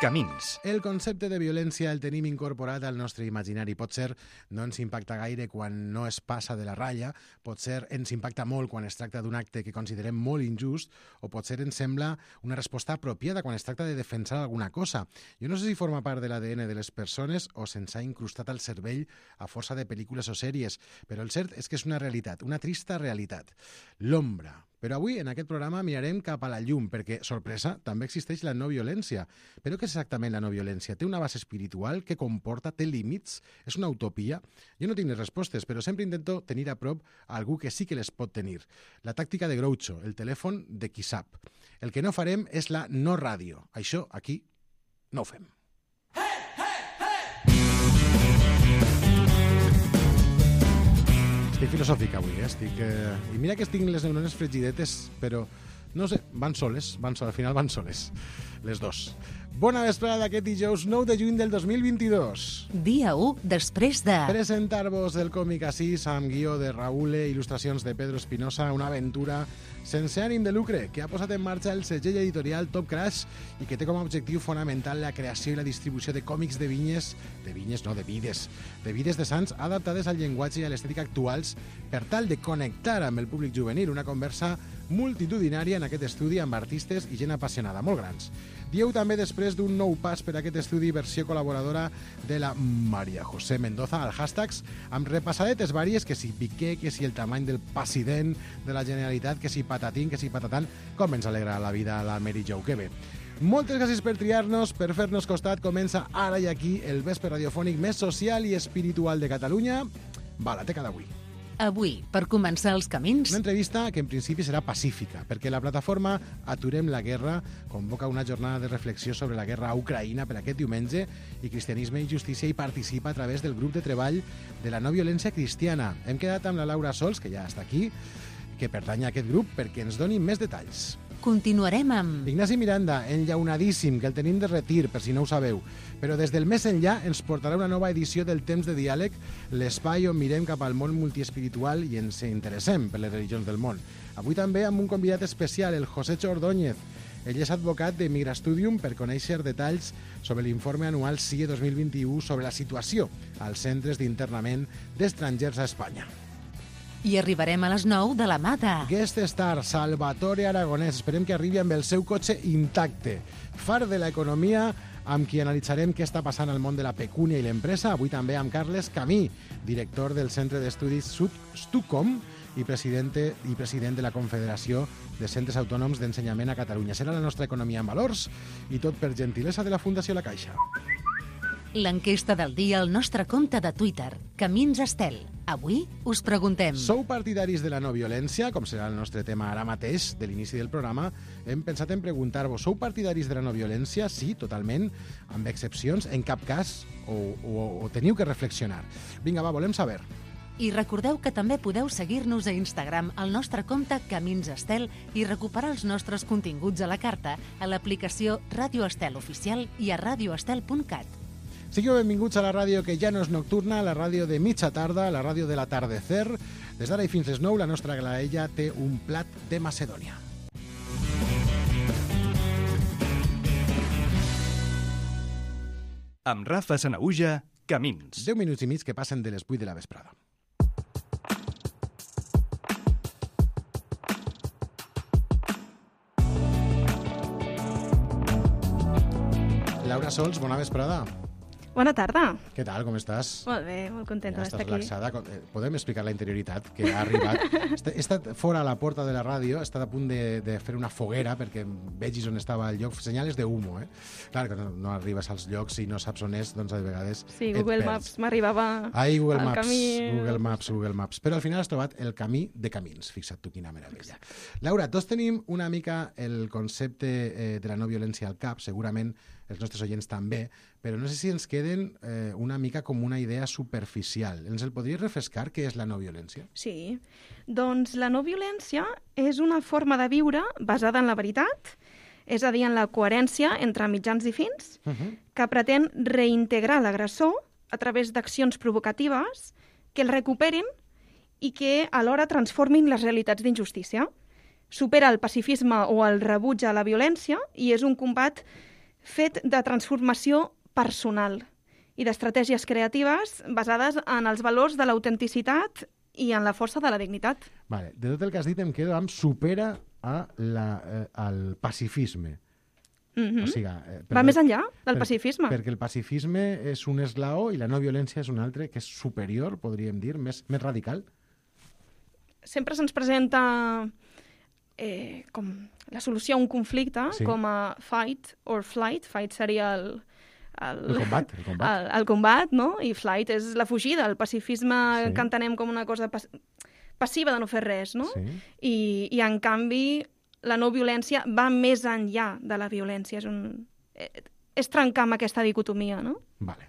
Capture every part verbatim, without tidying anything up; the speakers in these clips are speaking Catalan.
Camins. El concepte de violència el tenim incorporat al nostre imaginari. Potser no ens impacta gaire quan no es passa de la ratlla, potser ens impacta molt quan es tracta d'un acte que considerem molt injust, o potser ens sembla una resposta apropiada quan es tracta de defensar alguna cosa. Jo no sé si forma part de l'A D N de les persones o se'ns ha incrustat al cervell a força de pel·lícules o sèries, però el cert és que és una realitat, una trista realitat. L'ombra. Però avui, en aquest programa, mirarem cap a la llum, perquè, sorpresa, també existeix la no violència. Però què és exactament la no violència? Té una base espiritual? Què comporta? Té límits? És una utopia? Jo no tinc les respostes, però sempre intento tenir a prop a algú que sí que les pot tenir. La tàctica de Groucho, el telèfon de qui sap. El que no farem és la no ràdio. Això, aquí, no ho fem. Estic filosòfic avui, eh? Estic, eh... I mira que estic les neurones fregidetes, però, no sé, van soles, van soles, al final van soles, les dos. Bona vesprada d'aquest dijous nou de juny del dos mil vint-i-dos. Dia u després de... Presentar-vos el còmic Assís amb guió de Raúl, il·lustracions de Pedro Espinosa, una aventura sense ànim de lucre que ha posat en marxa el segell editorial Top Crash i que té com a objectiu fonamental la creació i la distribució de còmics de vinyes, de vinyes no, de vides, de vides de sants adaptades al llenguatge i a l'estètica actuals per tal de connectar amb el públic juvenil, una conversa multitudinària en aquest estudi amb artistes i gent apassionada, molt grans. Dieu també després d'un nou pas per aquest estudi versió col·laboradora de la Maria José Mendoza al hashtags amb repassadetes vàries, que si Piqué, que si el tamany del president de la Generalitat, que si patatín, que si patatant, com ens alegra la vida a la Mary Jo, que bé. Moltes gràcies per triar-nos, per fer-nos costat. Comença ara i aquí el vespre radiofònic més social i espiritual de Catalunya. Va, la teca d'avui. Avui, per començar els camins... Una entrevista que en principi serà pacífica, perquè la plataforma Aturem la Guerra convoca una jornada de reflexió sobre la guerra a Ucraïna per aquest diumenge i Cristianisme i Justícia hi participa a través del grup de treball de la no violència cristiana. Hem quedat amb la Laura Sols, que ja està aquí, que pertany a aquest grup, perquè ens doni més detalls. Continuarem amb... Ignasi Miranda, enllaunadíssim, que el tenim de retir, per si no ho sabeu. Però des del més enllà ens portarà una nova edició del Temps de Diàleg, l'espai on mirem cap al món multiespiritual i ens interessem per les religions del món. Avui també amb un convidat especial, el Josécho Ordóñez. Ell és advocat de Migrastudium per conèixer detalls sobre l'informe anual S I E dos mil vint-i-u sobre la situació als centres d'internament d'estrangers a Espanya. I arribarem a les nou de la mà de... Guest star Salvatore Aragonès. Esperem que arribi amb el seu cotxe intacte. Far de l'economia, amb qui analitzarem què està passant al món de la pecúnia i l'empresa. Avui també amb Carles Camí, director del Centre d'Estudis Stucom i president, i president de la Confederació de Centres Autònoms d'Ensenyament a Catalunya. Serà la nostra economia en valors i tot per gentilesa de la Fundació La Caixa. L'enquesta del dia al nostre compte de Twitter, Camins Estel. Avui us preguntem... Sou partidaris de la no violència, com serà el nostre tema ara mateix, de l'inici del programa? Hem pensat en preguntar-vos, sou partidaris de la no violència? Sí, totalment, amb excepcions, en cap cas, o, o, o teniu que reflexionar. Vinga, va, volem saber. I recordeu que també podeu seguir-nos a Instagram al nostre compte Camins Estel i recuperar els nostres continguts a la carta a l'aplicació Ràdio Estel Oficial i a radioestel punt cat. Sigueu benvinguts a la ràdio que ja no és nocturna, la ràdio de mitja tarda, la ràdio de l'atardecer. Des d'ara i fins les nou, la nostra graella té un plat de Macedònia. Amb Rafa Sanaüja, Camins. Deu minuts i mig que passen de les vuit de la vesprada. Laura Sols, bona vesprada. Bona tarda. Què tal, com estàs? Molt bé, molt contenta ja d'estar aquí. Relaxada. Podem explicar la interioritat que ha arribat? He estat fora a la porta de la ràdio, he estat a punt de, de fer una foguera perquè vegis on estava el lloc. Senyales de humo, eh? Clar que no, no arribes als llocs i no saps on és, doncs a vegades sí, Google Maps m'arribava Ai, Google al Maps, camí. Google Maps, Google Maps. Però al final has trobat el camí de camins. Fixa't tu quina meravella. Laura, tots tenim una mica el concepte eh, de la no violència al cap, segurament els nostres oients també, però no sé si ens queden eh, una mica com una idea superficial. Ens el podries refrescar què és la no violència? Sí, doncs la no violència és una forma de viure basada en la veritat, és a dir, en la coherència entre mitjans i fins, uh -huh. que pretén reintegrar l'agressor a través d'accions provocatives que el recuperin i que alhora transformin les realitats d'injustícia. Supera el pacifisme o el rebuig a la violència i és un combat fet de transformació personal i d'estratègies creatives basades en els valors de l'autenticitat i en la força de la dignitat. Vale. De tot el que has dit em quedo amb supera a la, eh, al pacifisme. Mm-hmm. O sigui, eh, Va per, més enllà del per, pacifisme. Perquè el pacifisme és un esglaó i la no violència és un altre que és superior, podríem dir, més, més radical. Sempre se'ns presenta eh, com la solució a un conflicte Sí. com a fight or flight. Fight seria el, el, El combat, el combat. el, el combat, no? I flight és la fugida. El pacifisme Sí. que entenem com una cosa pas, passiva de no fer res, no? Sí. I, I, en canvi, la no violència va més enllà de la violència. És, un, eh, és trencar amb aquesta dicotomia, no? Vale.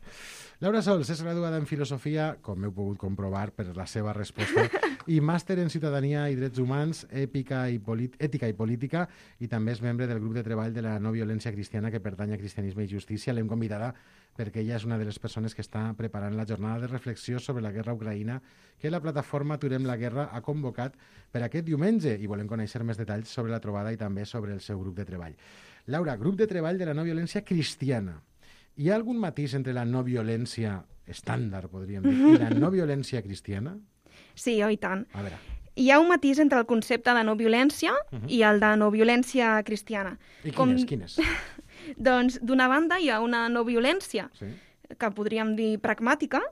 Laura Sols és graduada en Filosofia, com heu pogut comprovar per la seva resposta, i màster en Ciutadania i Drets Humans, èpica i Ètica i Política, i també és membre del grup de treball de la no violència cristiana que pertany a Cristianisme i Justícia. L'hem convidada perquè ella és una de les persones que està preparant la jornada de reflexió sobre la guerra a Ucraïna que la plataforma Aturem la Guerra ha convocat per aquest diumenge, i volem conèixer més detalls sobre la trobada i també sobre el seu grup de treball. Laura, grup de treball de la no violència cristiana. Hi ha algun matís entre la no violència estàndard, podríem dir, i la no violència cristiana? Sí, oh, i tant. A veure. Hi ha un matís entre el concepte de no violència uh-huh. i el de no violència cristiana. I quin Com... és? Quin és? Doncs, d'una banda, hi ha una no violència, Sí. que podríem dir pragmàtica,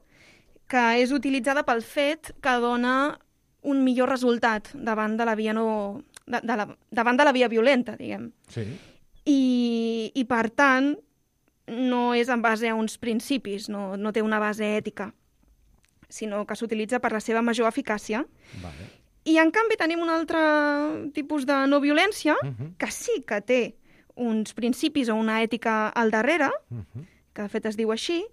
que és utilitzada pel fet que dona un millor resultat davant de la via, no... de, de la... davant de la via violenta, diguem. Sí. I, i per tant, no és en base a uns principis, no, no té una base ètica, sinó que s'utilitza per la seva major eficàcia. Vale. I, en canvi, tenim un altre tipus de no violència Uh-huh. que sí que té uns principis o una ètica al darrere, Uh-huh. que de fet es diu així,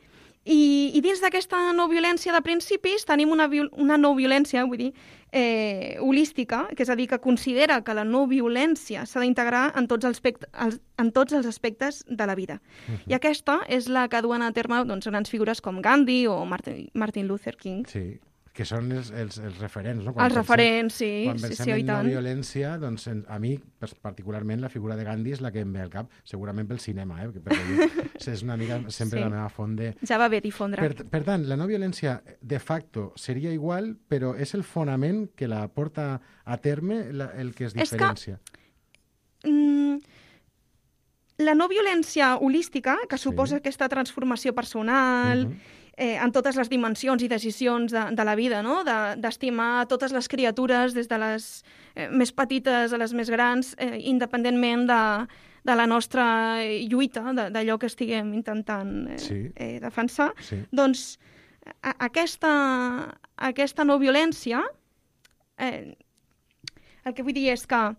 i, i dins d'aquesta no violència de principis tenim una, viol una no violència, vull dir, eh, holística, que és a dir, que considera que la no violència s'ha d'integrar en, tots els els, en tots els aspectes de la vida. Uh-huh. I aquesta és la que duen a terme doncs, grans figures com Gandhi o Martin, Martin Luther King. Sí, que són els, els, els referents, no? Els pensem- referents, sí, Quan sí, pensem sí, oh, i en no tant. violència, doncs en- a mi, pers- particularment, la figura de Gandhi és la que em ve al cap, segurament pel cinema, eh? perquè jo, és una mica sempre Sí. la meva font de... Ja va bé difondre. Per, per tant, la no violència de facto seria igual, però és el fonament que la porta a terme la, el que es És que- diferencia. Mm, la no violència holística, que Sí. suposa aquesta transformació personal, Mhm. eh, en totes les dimensions i decisions de, de la vida, no? De- d'estimar totes les criatures, des de les eh, més petites a les més grans, eh, independentment de, de la nostra lluita, de- d'allò que estiguem intentant eh, Sí. eh, defensar. Sí. Doncs a, aquesta, aquesta no violència, eh, el que vull dir és que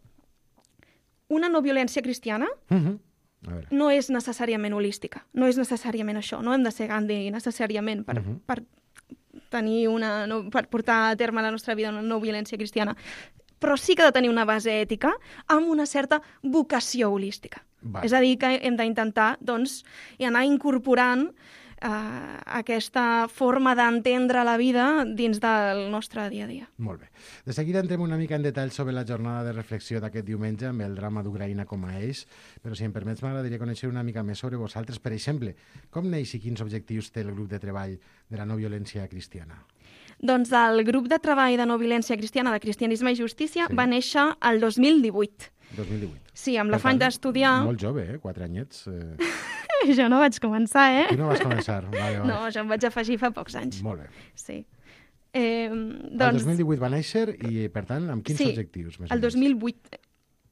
una no violència cristiana Mhm. A veure. no és necessàriament holística, no és necessàriament això, no hem de ser Gandhi necessàriament per, Mhm. per tenir una, no, per portar a terme la nostra vida una no violència cristiana, però sí que ha de tenir una base ètica amb una certa vocació holística. Vale. És a dir, que hem d'intentar doncs, i anar incorporant eh, aquesta forma d'entendre la vida dins del nostre dia a dia. Molt bé. De seguida entrem una mica en detall sobre la jornada de reflexió d'aquest diumenge amb el drama d'Ucraïna com a eix, però si em permets m'agradaria conèixer una mica més sobre vosaltres. Per exemple, com neix i quins objectius té el grup de treball de la no violència cristiana? Doncs el grup de treball de no violència cristiana de Cristianisme i Justícia Sí. va néixer el dos mil divuit. dos mil divuit. Sí, amb Per l'afany tant, d'estudiar... Molt jove, eh? Quatre anyets. Eh... Jo no vaig començar, eh? Tu no vas començar. Vale, vale. No, jo em vaig afegir fa pocs anys. Molt bé. Sí. Eh, El doncs, dos mil divuit va néixer i, per tant, amb quins sí, objectius? Més o el dos menys? mil vuit.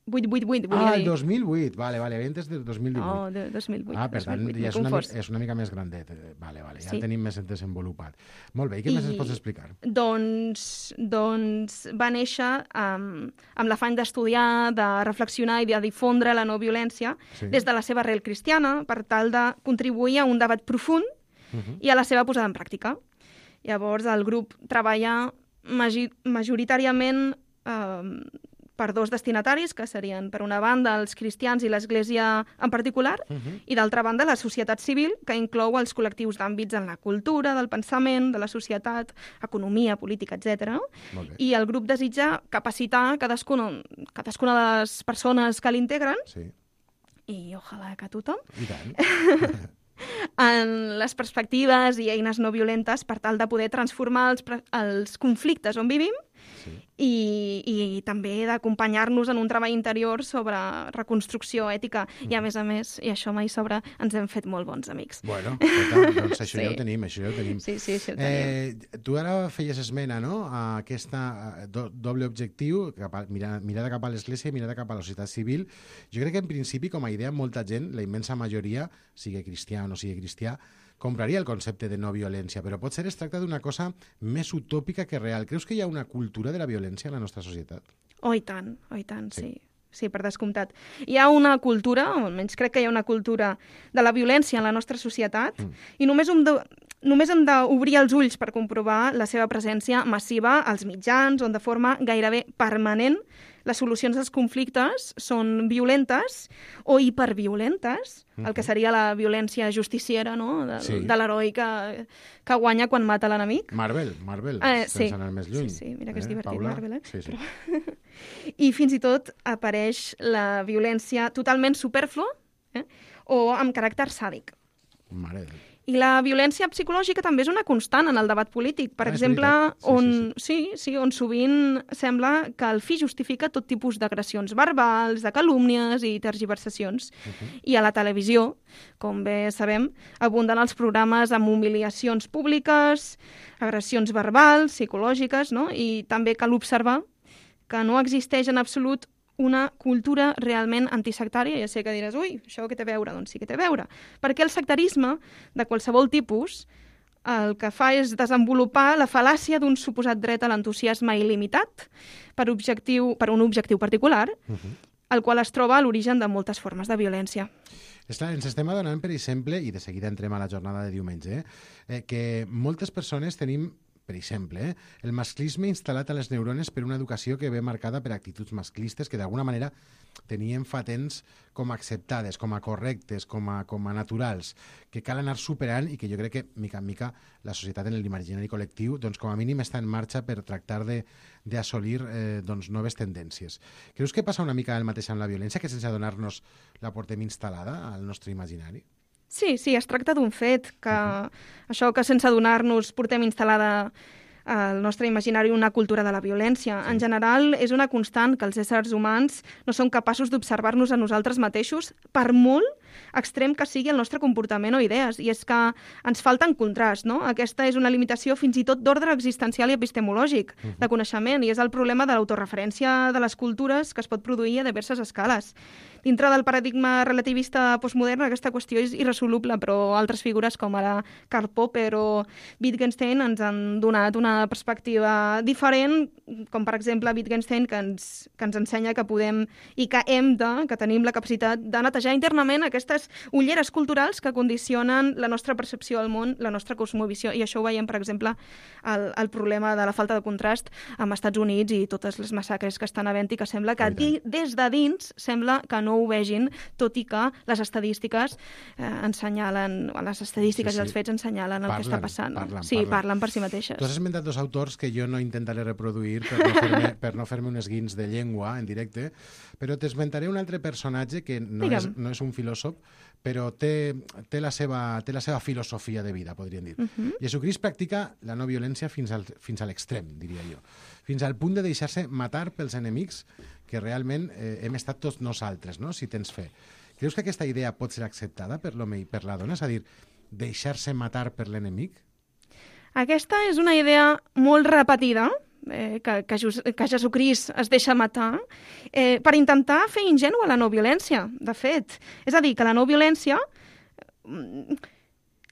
vuit, vuit, vuit, vull Ah, el dir. dos mil vuit. Vale, vale. Antes del dos mil divuit. No, de dos mil vuit. Ah, per dos mil tant, vuit, ja m'he és una, confós. mica, és una mica més grandet. Eh, Vale, vale, ja Sí. el tenim més desenvolupat. Molt bé, i què més ens pots explicar? Doncs, doncs va néixer amb, amb l'afany d'estudiar, de reflexionar i de difondre la no violència Sí. des de la seva arrel cristiana per tal de contribuir a un debat profund Uh-huh. i a la seva posada en pràctica. Llavors, el grup treballa magi- majoritàriament eh, per dos destinataris, que serien, per una banda, els cristians i l'Església en particular, Uh-huh. i d'altra banda, la societat civil, que inclou els col·lectius d'àmbits en la cultura, del pensament, de la societat, economia, política, etcètera. Molt bé. I el grup desitja capacitar cadascuna, cadascuna de les persones que l'integren Sí. i ojalà que tothom, I tant. en les perspectives i eines no violentes per tal de poder transformar els, els conflictes on vivim Sí. i, i també d'acompanyar-nos en un treball interior sobre reconstrucció ètica. Mm. I a més a més, i això mai sobra, ens hem fet molt bons amics. Bueno, escolta, doncs això Sí. ja ho tenim, això ja ho tenim. Sí, sí, sí, ho tenim. Eh, tu ara feies esmena, no?, a aquesta do, doble objectiu, cap a, mirada, mirada cap a l'Església i mirada cap a la societat civil. Jo crec que en principi, com a idea, molta gent, la immensa majoria, sigui cristià o no sigui cristià, compraria el concepte de no violència, però potser es tracta d'una cosa més utòpica que real. Creus que hi ha una cultura de la violència en la nostra societat? Oh, i tant, oh, i tant, sí. Sí. Sí, per descomptat. Hi ha una cultura, o almenys crec que hi ha una cultura de la violència en la nostra societat, mm. i només hem de, només hem d'obrir els ulls per comprovar la seva presència massiva als mitjans, on de forma gairebé permanent les solucions als conflictes són violentes o hiperviolentes, mm-hmm. el que seria la violència justiciera, no?, de, Sí. de l'heroi que, que guanya quan mata l'enemic. Marvel, Marvel, Eh, sense sí. anar més lluny. Sí, sí, mira que és Eh, divertit, Paula? Marvel, eh? Sí, sí. I fins i tot apareix la violència totalment supèrflua, eh? o amb caràcter sàdic. Mare de... I la violència psicològica també és una constant en el debat polític. Per Ah, és exemple, veritat. Sí, on, sí, sí, on sovint sembla que el fi justifica tot tipus d'agressions verbals, de calúmnies i tergiversacions. Uh -huh. I a la televisió, com bé sabem, abunden els programes amb humiliacions públiques, agressions verbals, psicològiques, no? I també cal observar que no existeix en absolut una cultura realment antisectària. Ja sé que diràs, ui, això què té a veure? Doncs sí que té a veure. Perquè el sectarisme, de qualsevol tipus, el que fa és desenvolupar la fal·làcia d'un suposat dret a l'entusiasme il·limitat per, objectiu, per un objectiu particular, uh -huh. el qual es troba a l'origen de moltes formes de violència. És clar, ens estem adonant, per exemple, i de seguida entrem a la jornada de diumenge, eh, que moltes persones tenim, per exemple, eh, el masclisme instal·lat a les neurones per una educació que ve marcada per actituds masclistes que d'alguna manera teníem fa temps com a acceptades, com a correctes, com a, com a naturals, que cal anar superant i que jo crec que, mica en mica, la societat en l'imaginari col·lectiu, doncs com a mínim està en marxa per tractar de d'assolir eh, doncs, noves tendències. Creus que passa una mica el mateix amb la violència, que sense adonar-nos la portem instal·lada al nostre imaginari? Sí, sí, es tracta d'un fet, que uh-huh. això que sense adonar-nos portem instal·lada al nostre imaginari una cultura de la violència. Sí. En general, és una constant que els éssers humans no són capaços d'observar-nos a nosaltres mateixos, per molt extrem que sigui el nostre comportament o idees. I és que ens falta en contrast, no? Aquesta és una limitació fins i tot d'ordre existencial i epistemològic, uh-huh. de coneixement, i és el problema de l'autoreferència de les cultures que es pot produir a diverses escales. Dintre del paradigma relativista postmodern aquesta qüestió és irresoluble, però altres figures com ara Karl Popper o Wittgenstein ens han donat una perspectiva diferent, com per exemple Wittgenstein, que ens, que ens ensenya que podem i que hem de, que tenim la capacitat de netejar internament aquestes ulleres culturals que condicionen la nostra percepció del món, la nostra cosmovisió, i això ho veiem, per exemple, el, el problema de la falta de contrast amb Estats Units i totes les massacres que estan havent i que sembla que di, des de dins sembla que no ho vegin, tot i que les estadístiques eh, ensenyalen, les estadístiques sí, sí. i els fets ensenyalen el parlen, que està passant. Parlen, sí, parlen. parlen per si mateixes. Tu has esmentat dos autors que jo no intentaré reproduir per no fer-me per no fer-me un esguins de llengua en directe, però t'esmentaré un altre personatge que no és, no és un filòsof, però té, té, la seva, té la seva filosofia de vida, podríem dir. Uh-huh. Jesucrist practica la no violència fins al, fins a l'extrem, diria jo. Fins al punt de deixar-se matar pels enemics que realment eh, hem estat tots nosaltres, no?, si tens fe. Creus que aquesta idea pot ser acceptada per l'home i per la dona? És a dir, deixar-se matar per l'enemic? Aquesta és una idea molt repetida, eh, que, que, Jes que Jesucrist es deixa matar, eh, per intentar fer ingènua la no violència, de fet. És a dir, que la no violència...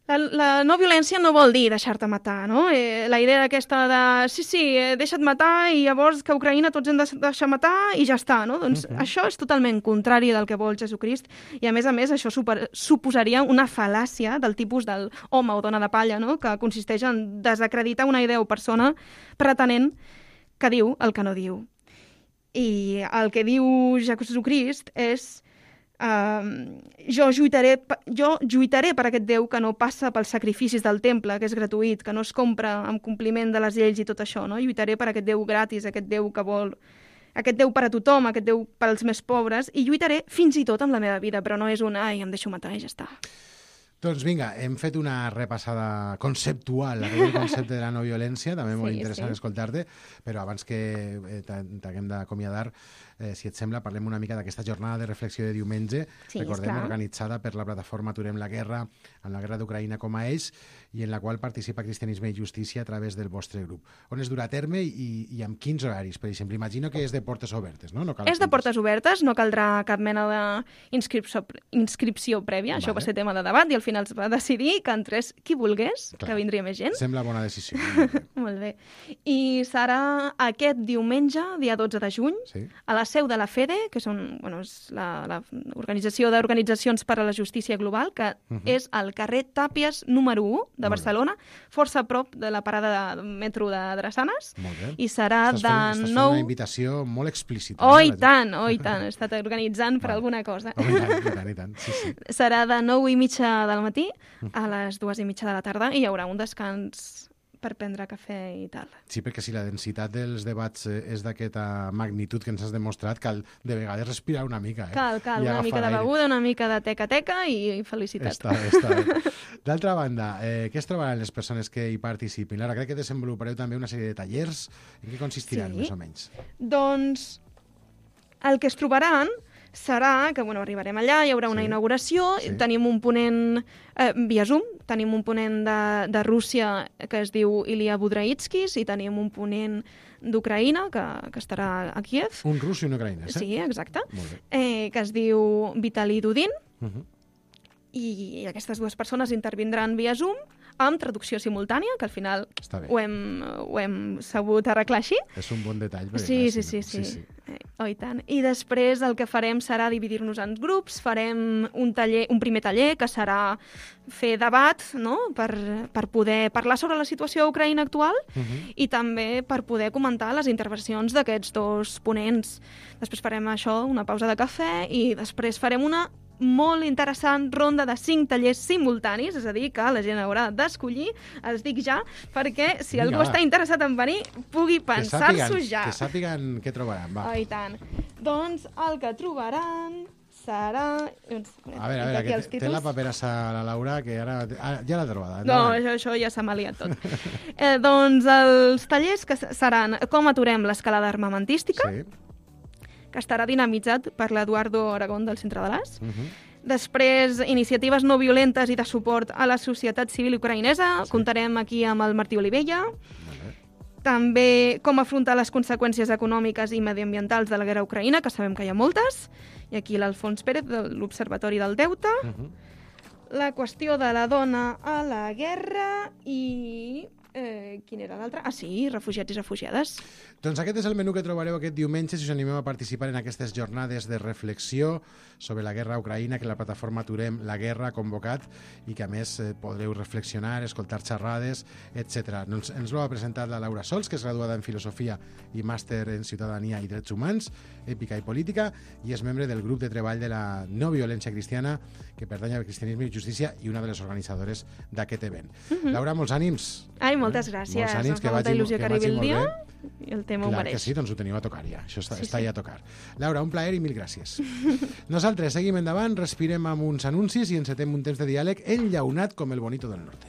La, la no violència no vol dir deixar-te matar, no? Eh, la idea aquesta de, sí, sí, eh, deixa't matar i llavors que a Ucraïna tots hem de deixar matar i ja està, no? Doncs uh-huh. això és totalment contrari del que vol Jesucrist i, a més a més, això super, suposaria una fal·làcia del tipus del home o dona de palla, no? Que consisteix en desacreditar una idea o persona pretenent que diu el que no diu. I el que diu Jesucrist és... Uh, jo, lluitaré, jo lluitaré per aquest Déu que no passa pels sacrificis del temple, que és gratuït, que no es compra amb compliment de les lleis i tot això, no? Lluitaré per aquest Déu gratis, aquest Déu que vol aquest Déu per a tothom, aquest Déu per als més pobres, i lluitaré fins i tot amb la meva vida, però no és un, ai, em deixo matar i ja està. Doncs vinga, hem fet una repassada conceptual a aquest concepte de la no violència, també molt Sí, interessant sí. escoltar-te, però abans que eh, t'ha- t'haguem d'acomiadar, eh, si et sembla, parlem una mica d'aquesta jornada de reflexió de diumenge, Sí, recordem, esclar. organitzada per la plataforma Aturem la Guerra, amb la guerra d'Ucraïna com a eix, i en la qual participa Cristianisme i Justícia a través del vostre grup. On es durà a terme i, i amb quins horaris, per exemple? Imagino que és de portes obertes, no? no cal És de apuntar-se. portes obertes, no caldrà cap mena d'inscripció inscripció prèvia, això Vale. va ser tema de debat i al final es va decidir que entrés qui volgués, Clar. que vindria més gent. Sembla bona decisió. Molt bé. I serà aquest diumenge, dia dotze de juny, Sí? a la seu de la FEDE, que són, bueno, és la, la Organització d'Organitzacions per a la Justícia Global, que Mhm. és al carrer Tàpies número u de Molt bé. Barcelona, força a prop de la parada de metro de Drassanes, Molt bé. i serà Estàs de fent, estàs fent nou... una invitació molt explícita. Oh, eh, i la- tant, oh, i tant, he estat organitzant per Vale. alguna cosa. Oh, i tant, i tant, i tant. Sí, sí. Serà de nou i mitja del matí Mm. a les dues i mitja de la tarda i hi haurà un descans per prendre cafè i tal. Sí, perquè si la densitat dels debats eh, és d'aquesta magnitud que ens has demostrat, cal de vegades respirar una mica. Eh? Cal, cal, I una agafar mica de aire. beguda, una mica de teca-teca i felicitat. Està bé, està bé. D'altra banda, eh, què es trobaran les persones que hi participin? Lara, crec que desenvolupareu també una sèrie de tallers. En què consistiran, Sí. més o menys? Doncs el que es trobaran serà que bueno, arribarem allà, hi haurà una Sí. inauguració, Sí. tenim un ponent eh, via Zoom, tenim un ponent de, de Rússia que es diu Ilya Budraitskis i tenim un ponent d'Ucraïna que, que estarà a Kiev. Un rus i un ucraïnès, eh? Sí, exacte. Molt bé. Eh, que es diu Vitali Dudin, Uh -huh. i aquestes dues persones intervindran via Zoom amb traducció simultània, que al final Està bé. ho hem, ho hem sabut arreglar així. És un bon detall. perquè, Sí, clar, sí, si sí, no- sí. sí. Eh, oh, i tant. I després el que farem serà dividir-nos en grups, farem un, taller, un primer taller que serà fer debat, no?, per, per poder parlar sobre la situació a Ucraïna actual Uh -huh. i també per poder comentar les intervencions d'aquests dos ponents. Després farem això, una pausa de cafè, i després farem una molt interessant ronda de cinc tallers simultanis, és a dir, que la gent haurà d'escollir, els dic ja, perquè si Vinga, algú va. està interessat en venir, pugui Que pensar-s'ho sàpiguen, ja. que sàpiguen què trobaran. Va. Oh, i tant. Doncs el que trobaran serà... Doncs, A veure, a veure, que té, té la paperassa la Laura, que ara... Ah, ja l'ha trobada. No, endavant. això, això ja s'ha maliat tot. eh, doncs els tallers que seran com aturem l'escalada armamentística, Sí. que estarà dinamitzat per l'Eduardo Aragón del Centre de l'As. Uh -huh. Després, iniciatives no violentes i de suport a la societat civil ucraïnesa. Sí. Comptarem aquí amb el Martí Olivella. Molt bé. També com afrontar les conseqüències econòmiques i mediambientals de la guerra a Ucraïna, que sabem que hi ha moltes. I aquí l'Alfons Pérez, de l'Observatori del Deute. Uh -huh. La qüestió de la dona a la guerra i... Eh, quin era l'altre? Ah, sí, refugiats i refugiades. Doncs aquest és el menú que trobareu aquest diumenge si us animeu a participar en aquestes jornades de reflexió sobre la guerra a Ucraïna que la plataforma Aturem la Guerra ha convocat i que a més eh, podreu reflexionar, escoltar xerrades, etcètera. Ens, ens ho ha presentat la Laura Sols, que és graduada en Filosofia i màster en Ciutadania i Drets Humans, Èpica i Política, i és membre del grup de treball de la no violència cristiana que pertany al Cristianisme i Justícia i una de les organitzadores d'aquest event. Mhm. Laura, molts ànims. Ai, moltes gràcies. Molts ànims, Em que fa molta vagi, il·lusió que que arribi vagi el molt dia bé. i el tema ho Clar mereix. que sí, doncs ho teniu a tocar ja. Això està, Sí, està sí. ja a tocar. Laura, un plaer i mil gràcies. Nosaltres seguim endavant, respirem amb uns anuncis i encetem un temps de diàleg enllaunat com el bonito del norte.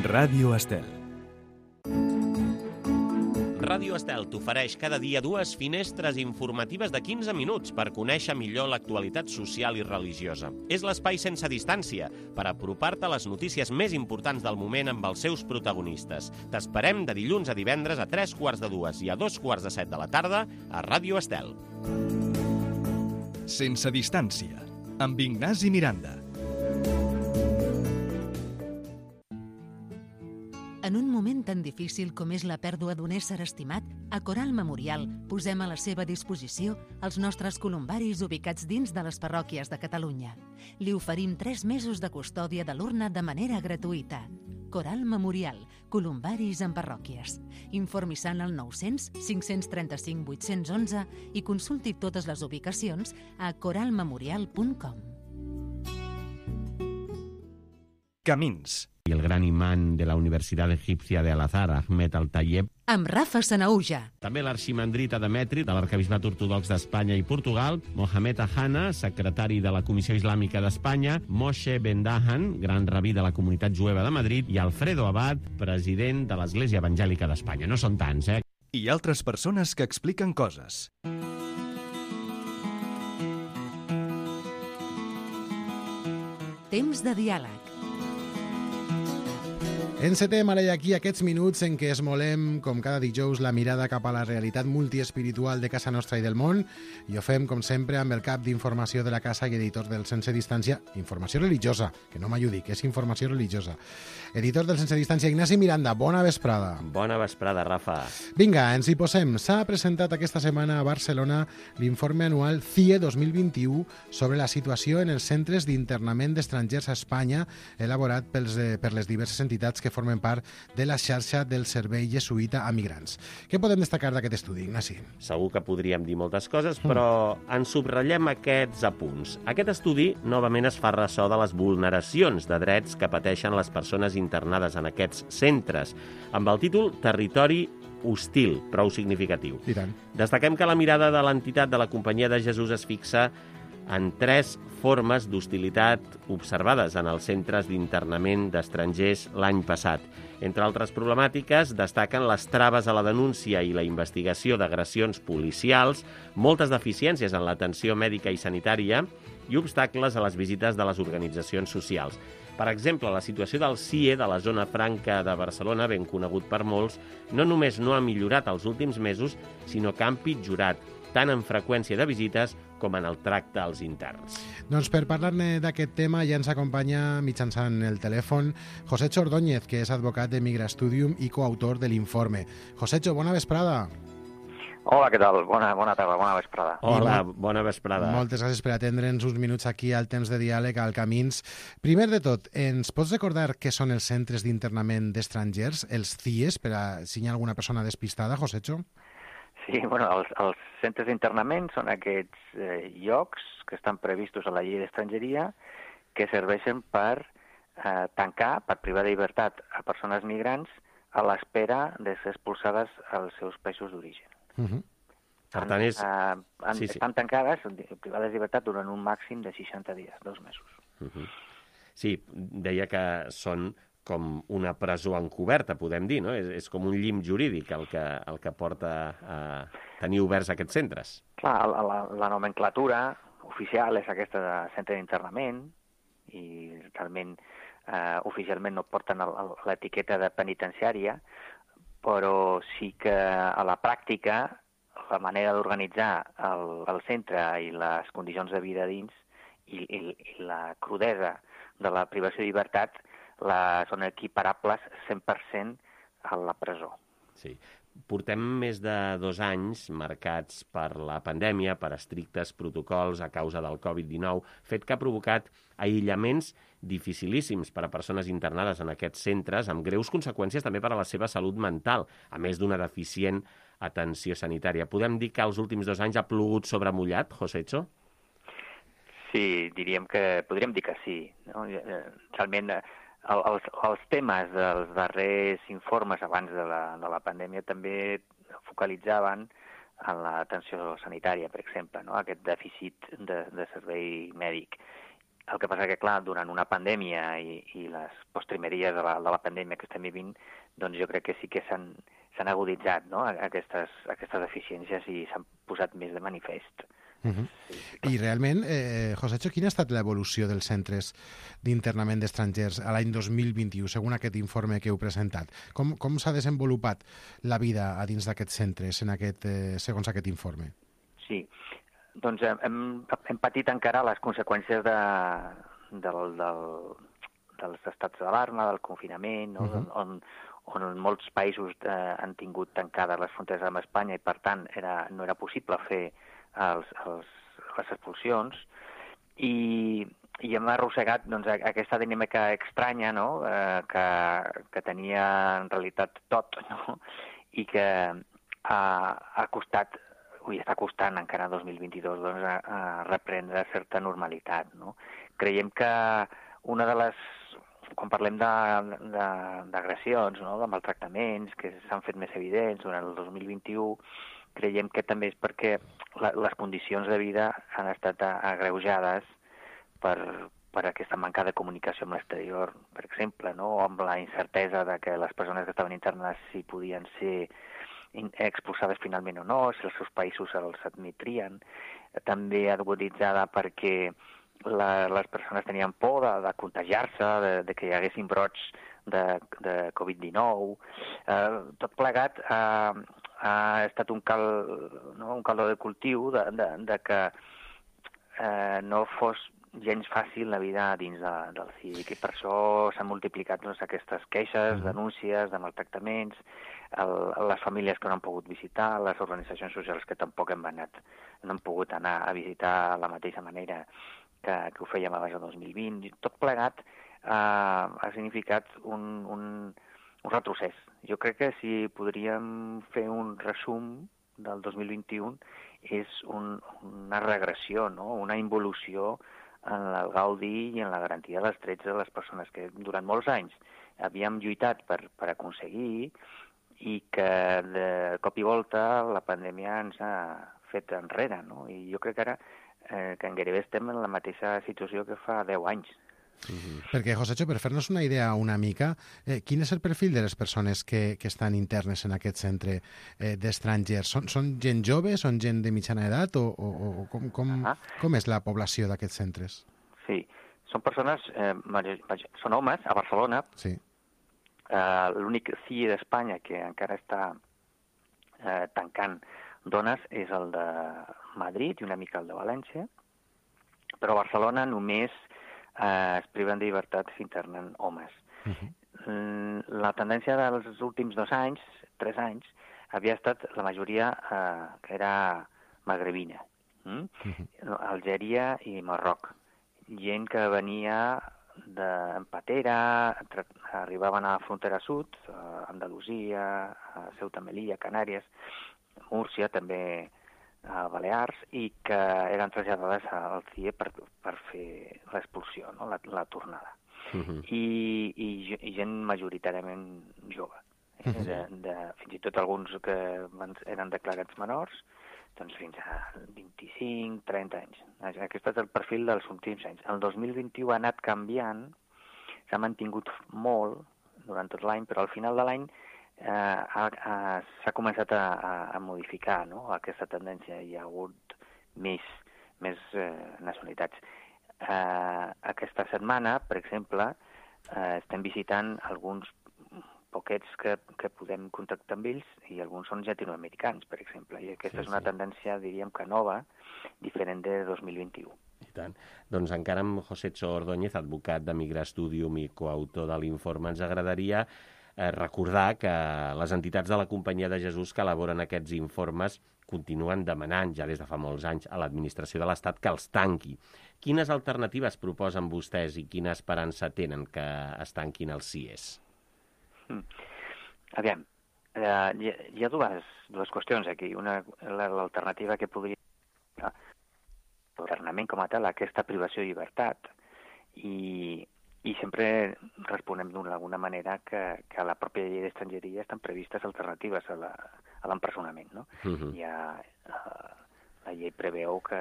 Ràdio Estel. Ràdio Estel t'ofereix cada dia dues finestres informatives de quinze minuts per conèixer millor l'actualitat social i religiosa. És l'espai sense distància per apropar-te a les notícies més importants del moment amb els seus protagonistes. T'esperem de dilluns a divendres a tres quarts de dues i a dos quarts de set de la tarda a Ràdio Estel. Sense distància, amb Ignasi Miranda. En un moment tan difícil com és la pèrdua d'un ésser estimat, a Coral Memorial posem a la seva disposició els nostres columbaris ubicats dins de les parròquies de Catalunya. Li oferim tres mesos de custòdia de l'urna de manera gratuïta. Coral Memorial, columbaris en parròquies. Informi-se'n al nou-cents cinc-cents trenta-cinc vuit-cents onze i consulti totes les ubicacions a coral memorial punt com. Camins. I el gran imán de la Universitat Egipcia de Al-Azhar, Ahmed Al-Tayeb. Amb Rafa Sanauja. També l'arximandrita Demetri, de l'Arquebisbat Ortodox d'Espanya i Portugal, Mohamed Ahana, secretari de la Comissió Islàmica d'Espanya, Moshe Ben-Dahan, gran rabí de la Comunitat Jueva de Madrid, i Alfredo Abad, president de l'Església Evangèlica d'Espanya. No són tants, eh? I altres persones que expliquen coses. Temps de diàleg. Encetem ara i aquí aquests minuts en què esmolem, com cada dijous, la mirada cap a la realitat multiespiritual de casa nostra i del món, i ho fem, com sempre, amb el cap d'informació de la casa i editor del Sense Distància, informació religiosa, que no m'ajudi, que és informació religiosa. Editor del Sense Distància, Ignasi Miranda, bona vesprada. Bona vesprada, Rafa. Vinga, ens hi posem. S'ha presentat aquesta setmana a Barcelona l'informe anual C I E dos mil vint-i-u sobre la situació en els centres d'internament d'estrangers a Espanya, elaborat pels, eh, per les diverses entitats que formen part de la xarxa del Servei Jesuïta a Migrants. Què podem destacar d'aquest estudi, Ignasi? Segur que podríem dir moltes coses, però en subratllem aquests apunts. Aquest estudi, novament, es fa ressò de les vulneracions de drets que pateixen les persones internades en aquests centres, amb el títol Territori hostil, prou significatiu. I tant. Destaquem que la mirada de l'entitat de la Companyia de Jesús es fixa en tres formes d'hostilitat observades en els centres d'internament d'estrangers l'any passat. Entre altres problemàtiques, destaquen les traves a la denúncia i la investigació d'agressions policials, moltes deficiències en l'atenció mèdica i sanitària i obstacles a les visites de les organitzacions socials. Per exemple, la situació del C I E de la zona franca de Barcelona, ben conegut per molts, no només no ha millorat els últims mesos, sinó que ha empitjorat, tant en freqüència de visites com en el tracte als interns. Doncs per parlar-ne d'aquest tema ja ens acompanya mitjançant el telèfon Josecho Ordóñez, que és advocat de Migra Studium i coautor de l'informe. Josecho, bona vesprada. Hola, què tal? Bona, bona tarda, bona vesprada. Hola, bona vesprada. Moltes gràcies per atendre'ns uns minuts aquí al temps de diàleg al Camins. Primer de tot, ens pots recordar què són els centres d'internament d'estrangers, els C I Es, per a si hi ha alguna persona despistada, Josecho? Sí, bueno, els, els centres d'internament són aquests eh, llocs que estan previstos a la llei d'estrangeria que serveixen per eh, tancar, per privar de llibertat a persones migrants a l'espera de ser expulsades als seus països d'origen. Uh -huh. Per tant, és... Eh, en, sí, sí. Estan tancades, privades de llibertat, durant un màxim de seixanta dies, dos mesos. Uh -huh. Sí, deia que són com una presó encoberta, podem dir, no? És, és com un llim jurídic el que, el que porta a tenir oberts aquests centres. Clar, la, la, la nomenclatura oficial és aquesta de centre d'internament i realment eh, oficialment no porten l'etiqueta de penitenciària, però sí que a la pràctica la manera d'organitzar el, el centre i les condicions de vida dins i, i, i la crudesa de la privació de llibertat la, són equiparables cent per cent a la presó. Sí. Portem més de dos anys marcats per la pandèmia, per estrictes protocols a causa del covid dinou, fet que ha provocat aïllaments dificilíssims per a persones internades en aquests centres, amb greus conseqüències també per a la seva salut mental, a més d'una deficient atenció sanitària. Podem dir que els últims dos anys ha plogut sobre mullat, Josecho? Sí, diríem que, podríem dir que sí. No? Realment, el, els, els temes dels darrers informes abans de la, de la pandèmia també focalitzaven en l'atenció sanitària, per exemple, no? Aquest dèficit de, de servei mèdic. El que passa que, clar, durant una pandèmia i, i les postrimeries de la, de la pandèmia que estem vivint, doncs jo crec que sí que s'han s'han aguditzat, no? aquestes, aquestes deficiències i s'han posat més de manifest. Uh -huh. sí, I realment, eh, Josecho, quina ha estat l'evolució dels centres d'internament d'estrangers a l'any dos mil vint-i-u, segons aquest informe que heu presentat? Com, com s'ha desenvolupat la vida a dins d'aquests centres en aquest, eh, segons aquest informe? Sí, doncs hem, hem patit encara les conseqüències de, del, del, dels estats d'alarma, del confinament, no? uh -huh. on, on en molts països eh, han tingut tancades les fronteres amb Espanya i, per tant, era, no era possible fer els, els, les expulsions. I, i hem arrossegat doncs, aquesta dinàmica estranya, no? eh, que, que tenia en realitat tot, no? I que ha, ha costat, ui, està costant encara dos mil vint-i-dos doncs, a, a reprendre certa normalitat. No? Creiem que una de les quan parlem d'agressions, no? De maltractaments, que s'han fet més evidents durant el dos mil vint-i-u, creiem que també és perquè la, les condicions de vida han estat agreujades per, per aquesta manca de comunicació amb l'exterior, per exemple, no? O amb la incertesa de que les persones que estaven internes si podien ser expulsades finalment o no, si els seus països els admetrien. També aguditzada perquè la, les persones tenien por de, de contagiar-se, de, de que hi haguessin brots de, de covid dinou. Eh, tot plegat eh, ha estat un, cal, no? un caldo de cultiu de, de, de que eh, no fos gens fàcil la vida dins de, del C I E, i per això s'han multiplicat doncs, aquestes queixes, denúncies de maltractaments, el, les famílies que no han pogut visitar, les organitzacions socials que tampoc hem anat, no han pogut anar a visitar de la mateixa manera que, que ho fèiem abans del dos mil vint. Tot plegat eh, ha significat un, un, un retrocés. Jo crec que si podríem fer un resum del dos mil vint-i-u és un, una regressió, no? Una involució en el gaudi i en la garantia dels drets de les persones que durant molts anys havíem lluitat per, per aconseguir i que de cop i volta la pandèmia ens ha fet enrere, no? I jo crec que ara eh, que en gairebé estem en la mateixa situació que fa deu anys. Uh-huh. Perquè, Josecho, per fer-nos una idea una mica, eh, quin és el perfil de les persones que, que estan internes en aquest centre eh, d'estrangers? Són, són gent jove, són gent de mitjana edat o, o, o com, com, uh-huh. com és la població d'aquests centres? Sí, són persones, eh, són homes a Barcelona. Sí. Uh, l'únic C I E d'Espanya que encara està uh, tancant dones és el de Madrid i una mica el de València, però a Barcelona només uh, es priven de llibertat s'internen homes. Uh-huh. La tendència dels últims dos anys, tres anys, havia estat la majoria uh, que era magrebina, mm? uh-huh. Algèria i Marroc. Gent que venia d'Empatera, arribaven a la frontera sud, a Andalusia, a Ceuta, Melilla, Canàries, Múrcia, també a Balears, i que eren traslladades al C I E per, per fer l'expulsió, no? la, la tornada. Uh-huh. I, i, I gent majoritàriament jove. Eh? Uh-huh. de, de, fins i tot alguns que van, eren declarats menors, doncs fins a vint-i-cinc, trenta anys. Aquest és el perfil dels últims anys. El dos mil vint-i-u ha anat canviant, s'ha mantingut molt durant tot l'any, però al final de l'any eh, ha, ha, s'ha començat a, a modificar, no? Aquesta tendència. Hi ha hagut més, més eh, nacionalitats. Eh, aquesta setmana, per exemple, eh, estem visitant alguns poquets que, que podem contactar amb ells, i alguns són llatinoamericans, per exemple. I aquesta sí, és una sí. tendència, diríem que nova, diferent de dos mil vint-i-u. I tant. Doncs encara amb Josecho Ordóñez, advocat de Migra Studium i coautor de l'informe, ens agradaria eh, recordar que les entitats de la Companyia de Jesús que elaboren aquests informes continuen demanant, ja des de fa molts anys, a l'administració de l'Estat que els tanqui. Quines alternatives proposen vostès i quina esperança tenen que es tanquin els C I Es? Mm. Aviam, eh, hi, hi ha dues, dues qüestions aquí. Una, l'alternativa que podria l'ordenament com a tal, aquesta privació de llibertat, i, i sempre responem d'alguna manera que, que a la pròpia llei d'estrangeria estan previstes alternatives a l'empresonament, no? Uh-huh. Hi ha, eh, la llei preveu que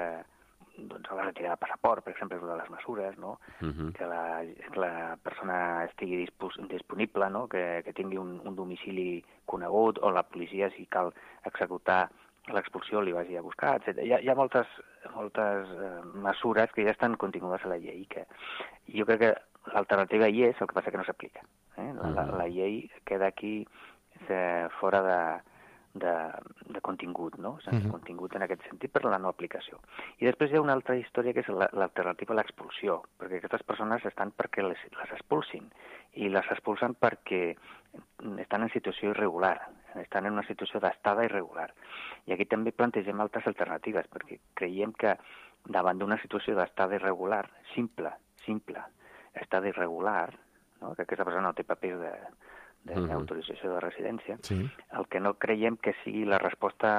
doncs, a la retirada de passaport, per exemple, és una de les mesures, no? Uh-huh. Que la, la persona estigui dispos, disponible, no? Que, que tingui un, un domicili conegut, o la policia, si cal executar l'expulsió, li vagi a buscar, etcètera. Hi ha, hi ha moltes, moltes eh, mesures que ja estan contingudes a la llei, que jo crec que l'alternativa hi és, el que passa que no s'aplica. Eh? La, la, la llei queda aquí eh, fora de, de, de contingut, no? Sense uh-huh. contingut en aquest sentit per la no aplicació. I després hi ha una altra història que és l'alternativa a l'expulsió, perquè aquestes persones estan perquè les, les expulsin, i les expulsen perquè estan en situació irregular, estan en una situació d'estada irregular. I aquí també plantegem altres alternatives, perquè creiem que davant d'una situació d'estada irregular, simple, simple, estada irregular, no? Que aquesta persona no té papers de d'autorització de residència, sí. El que no creiem que sigui la resposta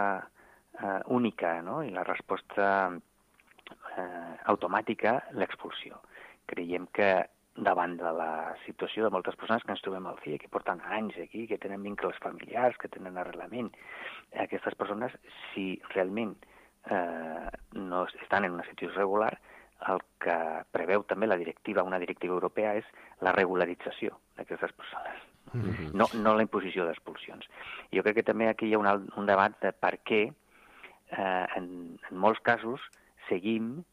eh, única, no? I la resposta eh, automàtica, l'expulsió. Creiem que davant de la situació de moltes persones que ens trobem al C I E, que porten anys aquí, que tenen vincles familiars, que tenen arrelament. Aquestes persones, si realment eh, no estan en una situació irregular, el que preveu també la directiva, una directiva europea, és la regularització d'aquestes persones, mm-hmm. no, no la imposició d'expulsions. Jo crec que també aquí hi ha un, un debat de per què eh, en, en molts casos seguim,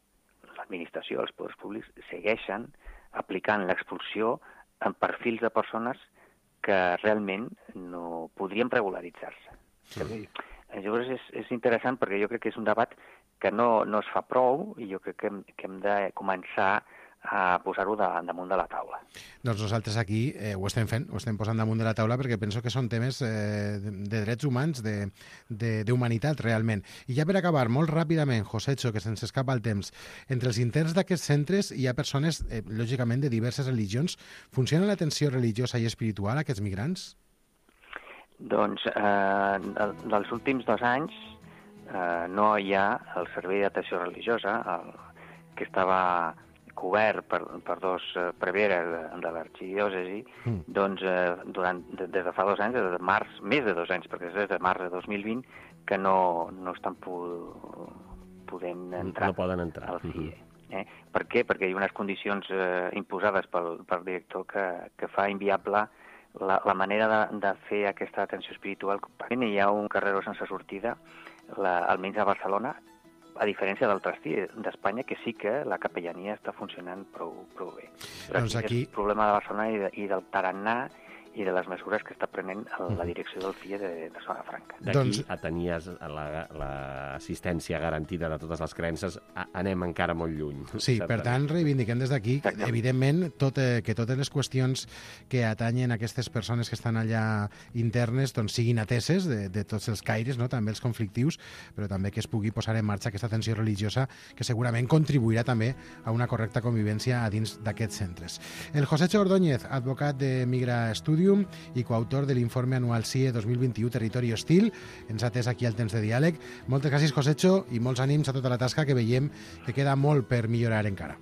l'administració, els poders públics, segueixen aplicant l'expulsió en perfils de persones que realment no podrien regularitzar-se. Sí. Llavors és, és interessant perquè jo crec que és un debat que no, no es fa prou i jo crec que hem, que hem de començar a posar-ho de, damunt de la taula. Doncs nosaltres aquí eh, ho estem fent, ho estem posant damunt de la taula perquè penso que són temes eh, de, de drets humans, d'humanitat realment. I ja per acabar, molt ràpidament, Josecho, que se'ns escapa el temps, entre els interns d'aquests centres hi ha persones, eh, lògicament, de diverses religions. Funciona l'atenció religiosa i espiritual a aquests migrants? Doncs eh, dels últims dos anys eh, no hi ha el servei d'atenció religiosa, el, que estava cobert per, per dos eh, preveres de, de l'arxidiòcesi, mm. doncs eh, durant, de, des de fa dos anys, des de març, més de dos anys, perquè és des de març de dos mil vint, que no, no estan pu podent entrar. No poden entrar. Al C I E. Mm-hmm. Eh? Per què? Perquè hi ha unes condicions eh, imposades pel, pel director que, que fa inviable la, la manera de, de fer aquesta atenció espiritual. Hi ha un carreró sense sortida, la, almenys a Barcelona, a diferència d'altres d'Espanya, que sí que la capellania està funcionant prou, prou bé. Però doncs aquí és el problema de Barcelona i, de, i del tarannà i de les mesures que està prenent la direcció del C I E de, de Zona Franca. D'aquí doncs a tenir l'assistència la, garantida de totes les creences, a, anem encara molt lluny. Sí, certament. Per tant, reivindiquem des d'aquí, evidentment, tot, eh, que totes les qüestions que atanyen aquestes persones que estan allà internes doncs, siguin ateses de, de tots els caires, no? També els conflictius, però també que es pugui posar en marxa aquesta atenció religiosa que segurament contribuirà també a una correcta convivència a dins d'aquests centres. El Josecho Ordóñez, advocat de Migra Studium i coautor de l'informe anual C I E dos mil vint-i-u Territori Hostil, ens ha atès aquí al temps de diàleg. Moltes gràcies, Josecho, i molts ànims a tota la tasca, que veiem que queda molt per millorar encara.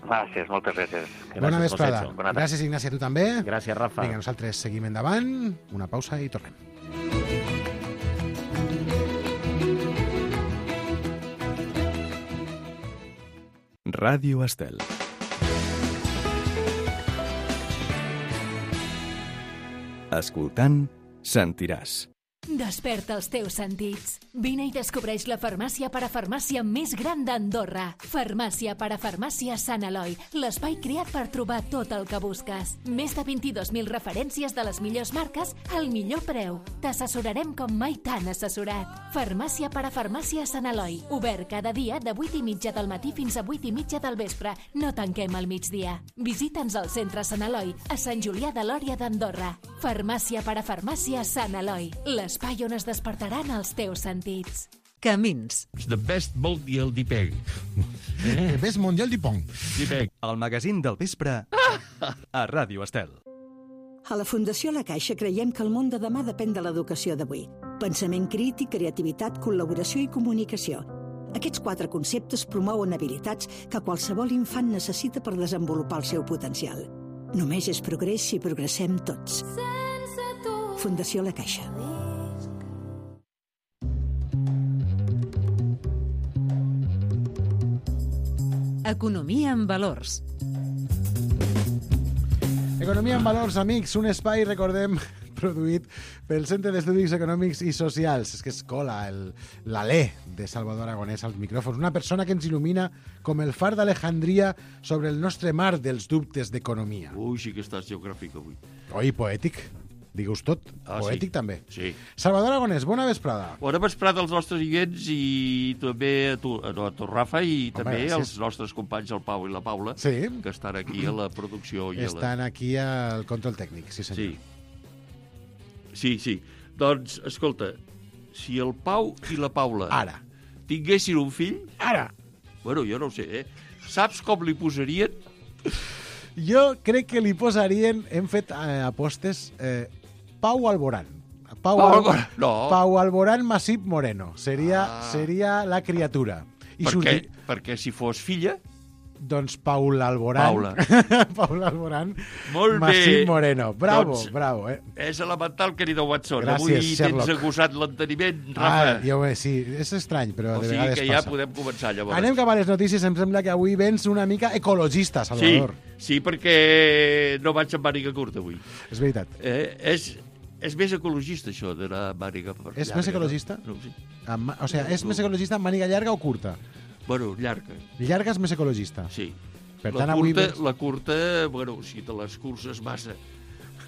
Gràcies, moltes gràcies. Bona gràcies, vesprada. Gràcies, Ignasi, a tu també. Gràcies, Rafa. Vinga, nosaltres seguim endavant, una pausa i tornem. Ràdio Estel. Escoltant, sentiràs. Desperta els teus sentits. Vine i descobreix la farmàcia parafarmàcia més gran d'Andorra. Farmàcia parafarmàcia Sant Eloi, l'espai creat per trobar tot el que busques. Més de vint-i-dos mil referències de les millors marques al millor preu. T'assessorarem com mai t'han assessorat. Farmàcia parafarmàcia Sant Eloi, obert cada dia de vuit i mitja del matí fins a vuit i mitja del vespre. No tanquem al migdia. Visita'ns al centre Sant Eloi, a Sant Julià de Lòria d'Andorra. Farmàcia parafarmàcia Sant Eloi, l'espai on es despertaran els teus sentits. Camins. The best mondial di peg. The best mondial di pong. Di peg. El magazín del vespre a Ràdio Estel. A la Fundació La Caixa creiem que el món de demà depèn de l'educació d'avui. Pensament crític, creativitat, col·laboració i comunicació. Aquests quatre conceptes promouen habilitats que qualsevol infant necessita per desenvolupar el seu potencial. Només és progrés si progressem tots. Fundació La Caixa. Economia en valors. Economia en valors, amics, un espai, recordem, produït pel Centre d'Estudis Econòmics i Socials. És que es cola l'alè de Salvador Aragonès als micròfons. Una persona que ens il·lumina com el far d'Alejandria sobre el nostre mar dels dubtes d'economia. Ui, sí que estàs geogràfic avui. Oi, poètic. Digues tot. Ah, poètic sí. també. Sí. Salvador Aragonès, bona vesprada. Bona vesprada als nostres oients i també a tu, a tu Rafa, i Home, també gràcies. als nostres companys, el Pau i la Paula, Sí. que estan aquí a la producció. I Estan a la... aquí al control tècnic, sí senyor. Sí. Sí, sí. Doncs, escolta, si el Pau i la Paula Ara. tinguessin un fill... Ara. Bueno, jo no ho sé, eh? Saps com li posarien? Jo crec que li posarien, hem fet eh, apostes, eh, Pau Alborán. Pau, Pau Al... Alborán, no. Pau Alborán Masip Moreno. Seria, Ah. seria la criatura. I Per sortir... què? Perquè si fos filla... Doncs Paul Alborán. Paula. Paul Alborán. Molt Massim bé. Moreno. Bravo, doncs, bravo, eh? És elemental, querido Watson. Gràcies, Avui Sherlock. tens acusat l'enteniment, Ah, Rafa. jo, eh, sí, és estrany, però o de sigui vegades que ja passa. podem començar, llavors. Anem cap a les notícies. Em sembla que avui vens una mica ecologista, Sí, Salvador. sí, perquè no vaig amb màniga curta avui. És veritat. Eh, és, és més ecologista, això, d'anar amb màniga per És llarga, més ecologista? No? No, sí. Amb, ma- o sigui, és més ecologista amb màniga llarga o curta? Bueno, llarga, Llarga és més ecologista. sí. Per la, tant, avui curta, vens- la curta, bueno, si te les curses massa,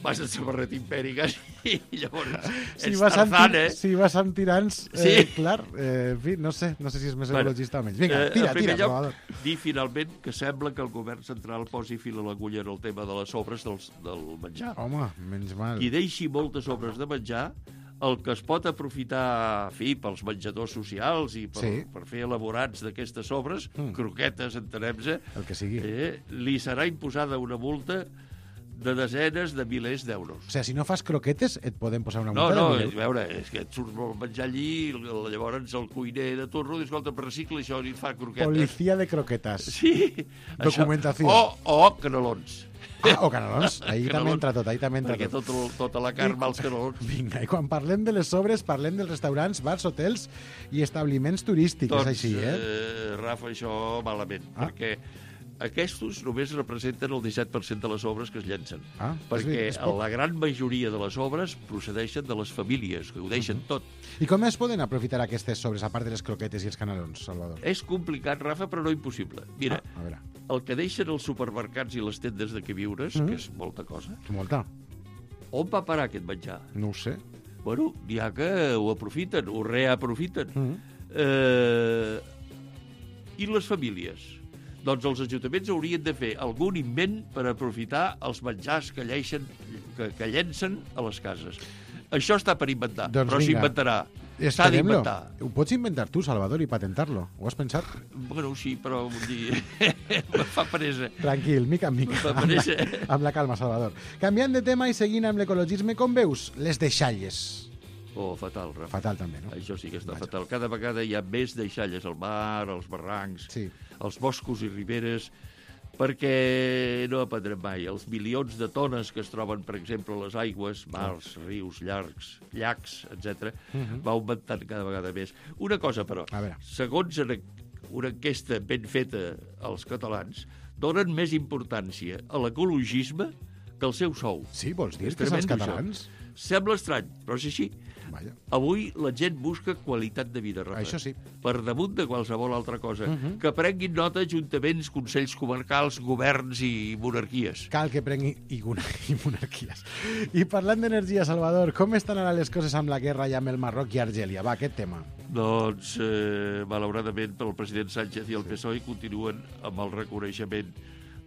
vas en samarreta impèrica i llavors Si ets vas, amb, Tarzan, ti- eh? si vas amb tirants, eh, Sí. clar, eh, en fi, no sé, no sé si és més Bueno, ecologista o menys. Vinga, eh, tira, en primer tira, lloc, Salvador. dir finalment que sembla que el govern central posi fil a l'agulla en el tema de les sobres dels, del menjar. Home, menys mal. Qui deixi moltes sobres de menjar, el que es pot aprofitar, en fi, pels menjadors socials i per, Sí. per fer elaborats d'aquestes sobres, Mm. croquetes, entenem-se, El que sigui. eh, li serà imposada una multa de desenes de milers d'euros. O sigui, si no fas croquetes, et poden posar una No, multa no, de a mil euros. veure, és que et surt molt menjar allí, l- llavors el cuiner de torno diu, escolta, recicla això i et fa croquetes. Policia de croquetes. Sí. Documentació. Això, o, o canelons. Ah, o canelons. Ahí també Canelons, entra tot, ahí també entra Perquè tot. tot, el- tota la carn va als canelons. Vinga, i quan parlem de les sobres, parlem dels restaurants, bars, hotels i establiments turístics, Doncs, és així, eh? eh, Rafa, això malament, Ah. perquè aquests només representen el disset per cent de les obres que es llencen. Ah, és perquè bé, és poc. la gran majoria de les obres procedeixen de les famílies, que ho deixen tot. I com es poden aprofitar aquestes sobres, a part de les croquetes i els canelons, Salvador? És complicat, Rafa, però no impossible. Mira, Ah, a veure, el que deixen els supermercats i les tendes de queviures, Mhm. que és molta cosa, molta. on va parar aquest menjar? No ho sé. Bueno, n'hi ha que ho aprofiten, ho reaprofiten. Mm. Eh, I les famílies? Doncs els ajuntaments haurien de fer algun invent per aprofitar els menjars que, lleixen, que, que llencen a les cases. Això està per inventar, Doncs però vinga. s'inventarà. S'ha Esperem-lo. d'inventar. Ho pots inventar tu, Salvador, i patentar-lo. Ho has pensat? Bueno, sí, però vull dir, me fa presa. Tranquil, mica en mica. Va Amb la, aparèixer. amb la calma, Salvador. Canviant de tema i seguint amb l'ecologisme, com veus? Les deixalles. Oh, fatal, Rafa. Fatal, també, no? Això sí que està Vaja. fatal. Cada vegada hi ha més deixalles al mar, als barrancs, Sí. als boscos i riberes, perquè no aprendrem mai. Els milions de tones que es troben, per exemple, a les aigües, mars, rius, llargs, llacs, etcètera, Mhm. va augmentant cada vegada més. Una cosa, però, A veure. segons una, una enquesta ben feta als catalans, donen més importància a l'ecologisme que al seu sou. Sí, vols dir És que els tremendo, catalans? Sembla estrany, però és així. Vaja. Avui la gent busca qualitat de vida, Rafa. Això sí. Per damunt de qualsevol altra cosa. Mhm. Que prenguin nota ajuntaments, consells comarcals, governs i monarquies. Cal que prengui i, i monarquies. I parlant d'energia, Salvador, com estan ara les coses amb la guerra ja amb el Marroc i Argèlia? Va, aquest tema. Doncs, eh, malauradament, el president Sánchez i el P S O E continuen amb el reconeixement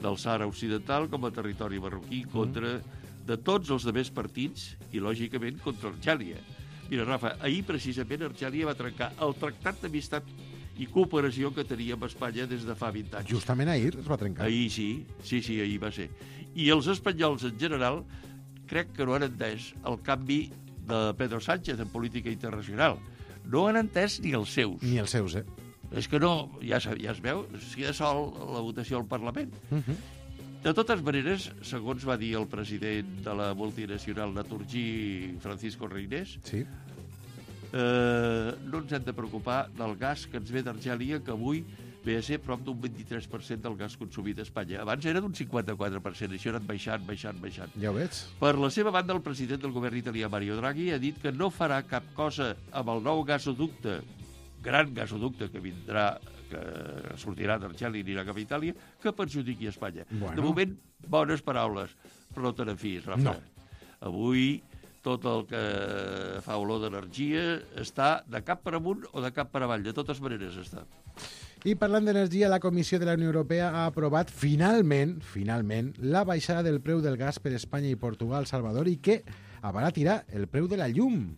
del Sàhara Occidental com a territori marroquí contra de tots els demés partits i, lògicament, contra Argèlia. Mira, Rafa, ahir precisament Argèlia va trencar el tractat d'amistat i cooperació que tenia amb Espanya des de fa vint anys. Justament ahir es va trencar. Ahir sí, sí, sí, ahir va ser. I els espanyols en general crec que no han entès el canvi de Pedro Sánchez en política internacional. No han entès ni els seus. Ni els seus, eh? És que no, ja, ja es veu, es queda sol la votació al Parlament. Uh -huh. De totes maneres, segons va dir el president de la multinacional Naturgy, Francisco Reynés, Sí. eh, no ens hem de preocupar del gas que ens ve d'Argèlia, que avui ve a ser prop d'un vint-i-tres per cent del gas consumit a Espanya. Abans era d'un cinquanta-quatre per cent, això ha anat baixant, baixant, baixant. Ja ho veig. Per la seva banda, el president del govern italià, Mario Draghi, ha dit que no farà cap cosa amb el nou gasoducte, gran gasoducte que vindrà, que sortirà d'Argèlia i anirà cap a Itàlia, que perjudiqui a Espanya. Bueno. De moment, bones paraules, però no te n'enfies, Rafa. No. Avui, tot el que fa olor d'energia està de cap per amunt o de cap per avall. De totes maneres està. I parlant d'energia, la Comissió de la Unió Europea ha aprovat finalment, finalment, la baixada del preu del gas per Espanya i Portugal, Salvador, i que abaratirà el preu de la llum.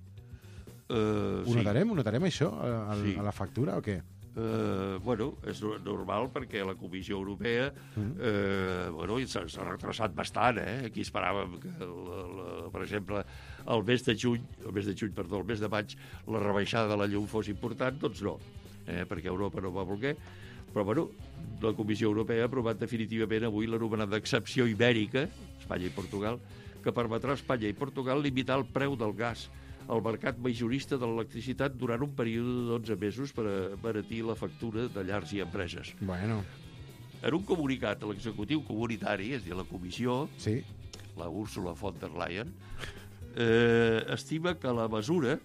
Uh, Ho notarem? Ho notarem, això, a, a, Sí. a la factura, o què? Uh, bueno, és normal perquè la Comissió Europea eh, bueno, s'ha s'ha retrasat bastant, eh? Aquí esperàvem que, la, la, per exemple, el mes de juny, el mes de juny, perdó, el mes de maig, la rebaixada de la llum fos important, doncs no. eh, perquè Europa no va voler, però bueno, la Comissió Europea ha aprovat definitivament avui l'anomenada excepció ibèrica, Espanya i Portugal, que permetrà a Espanya i Portugal limitar el preu del gas al mercat majorista de l'electricitat durant un període de dotze mesos per abaratir la factura de llars i empreses. Bueno. En un comunicat, l'executiu comunitari, és a dir, la comissió, sí. la Ursula von der Leyen, eh, estima que la mesura,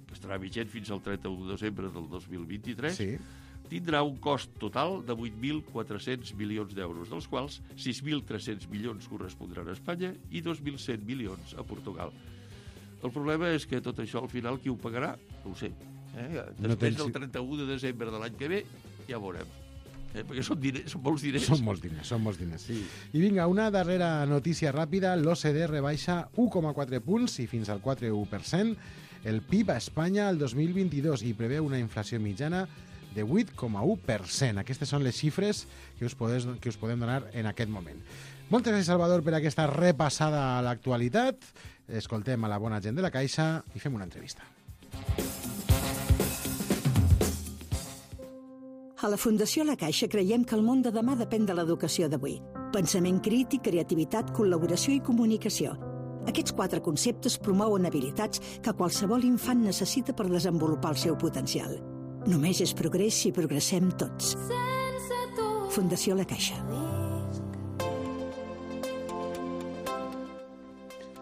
que estarà vigent fins al trenta-u de desembre del dos mil vint-i-tres, sí. tindrà un cost total de vuit mil quatre-cents milions d'euros, dels quals sis mil tres-cents milions correspondran a Espanya i dos mil cent milions a Portugal. El problema és que tot això, al final, qui ho pagarà? No ho sé. Eh? Després no tens... del trenta-u de desembre de l'any que ve, ja veurem. Eh? Perquè són, diners, són molts diners. Són molts diners, són molts diners. Sí. I vinga, una darrera notícia ràpida. L'O C D rebaixa u coma quatre punts i fins al quatre coma u per cent el P I B a Espanya el dos mil vint-i-dos i preveu una inflació mitjana de vuit coma u per cent. Aquestes són les xifres que us, podés, que us podem donar en aquest moment. Moltes gràcies, Salvador, per aquesta repassada a l'actualitat. Escoltem a la bona gent de la Caixa i fem una entrevista. A la Fundació La Caixa creiem que el món de demà depèn de l'educació d'avui. Pensament crític, creativitat, col·laboració i comunicació. Aquests quatre conceptes promouen habilitats que qualsevol infant necessita per desenvolupar el seu potencial. Només és progrés si progressem tots. Fundació La Caixa.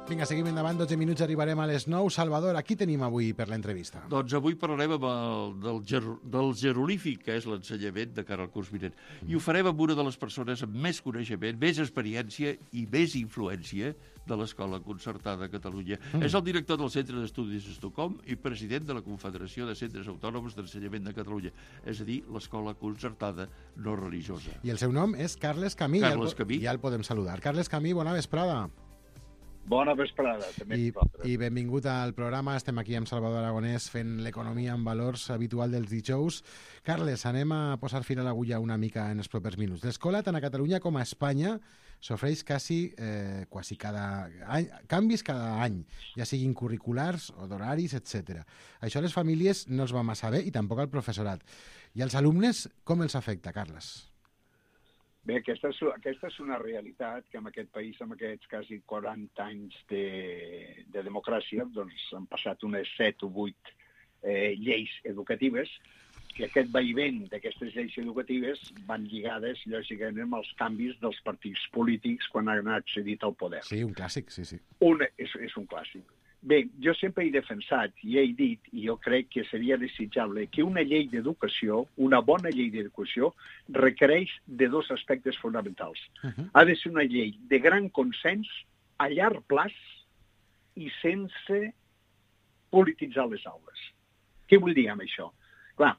Vinga, seguim endavant, dotze minuts, arribarem a les nou. Salvador, aquí tenim avui per l'entrevista. Doncs avui parlarem amb el, del, ger, del gerolífic, que és l'ensenyament de cara al curs vinent. Mm. I ho farem amb una de les persones amb més coneixement, més experiència i més influència de l'Escola Concertada a Catalunya. Mm. És el director del Centre d'Estudis Estocolm i president de la Confederació de Centres Autònoms d'Ensenyament de Catalunya, és a dir, l'Escola Concertada no religiosa. I el seu nom és Carles Camí. Carles ja el, Camí. Ja el podem saludar. Carles Camí, bona vesprada. Bona vesprada, també. I, I benvingut al programa. Estem aquí amb Salvador Aragonès fent l'economia en valors habitual dels dijous. Carles, anem a posar fil a l'agulla una mica en els propers minuts. L'escola, tant a Catalunya com a Espanya, s'ofereix quasi, eh, quasi cada any, canvis cada any, ja siguin curriculars o d'horaris, etcètera. Això a les famílies no els va massa bé i tampoc al professorat. I als alumnes, com els afecta, Carles? Bé, aquesta és, aquesta és una realitat que en aquest país, amb aquests quasi quaranta anys de, de democràcia, doncs han passat unes set o vuit eh, lleis educatives, que aquest vaivent d'aquestes lleis educatives van lligades, lògicament, amb els canvis dels partits polítics quan han accedit al poder. Sí, un clàssic, sí, sí. Un, és, és un clàssic. Bé, jo sempre he defensat i he dit, i jo crec que seria desitjable, que una llei d'educació, una bona llei d'educació, requereix de dos aspectes fonamentals. Uh-huh. Ha de ser una llei de gran consens, a llarg plaç i sense polititzar les aules. Què vull dir amb això? Clar,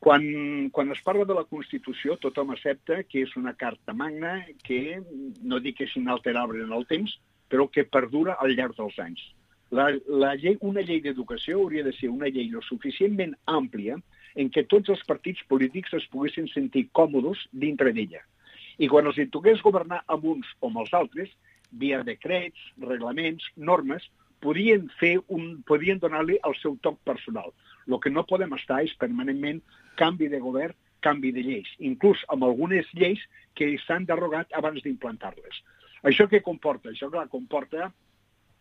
quan, quan es parla de la Constitució, tothom accepta que és una carta magna que, no dic que és inalterable en el temps, però que perdura al llarg dels anys. La, la llei, una llei d'educació hauria de ser una llei lo suficientment àmplia en què tots els partits polítics es poguessin sentir còmodes dintre d'ella. I quan els hi toqués governar amb uns o amb els altres, via decrets, reglaments, normes, podien fer un, podien donar-li el seu toc personal. El que no podem estar és permanentment canvi de govern, canvi de lleis, inclús amb algunes lleis que s'han derogat abans d'implantar-les. Això què comporta? Això, clar, comporta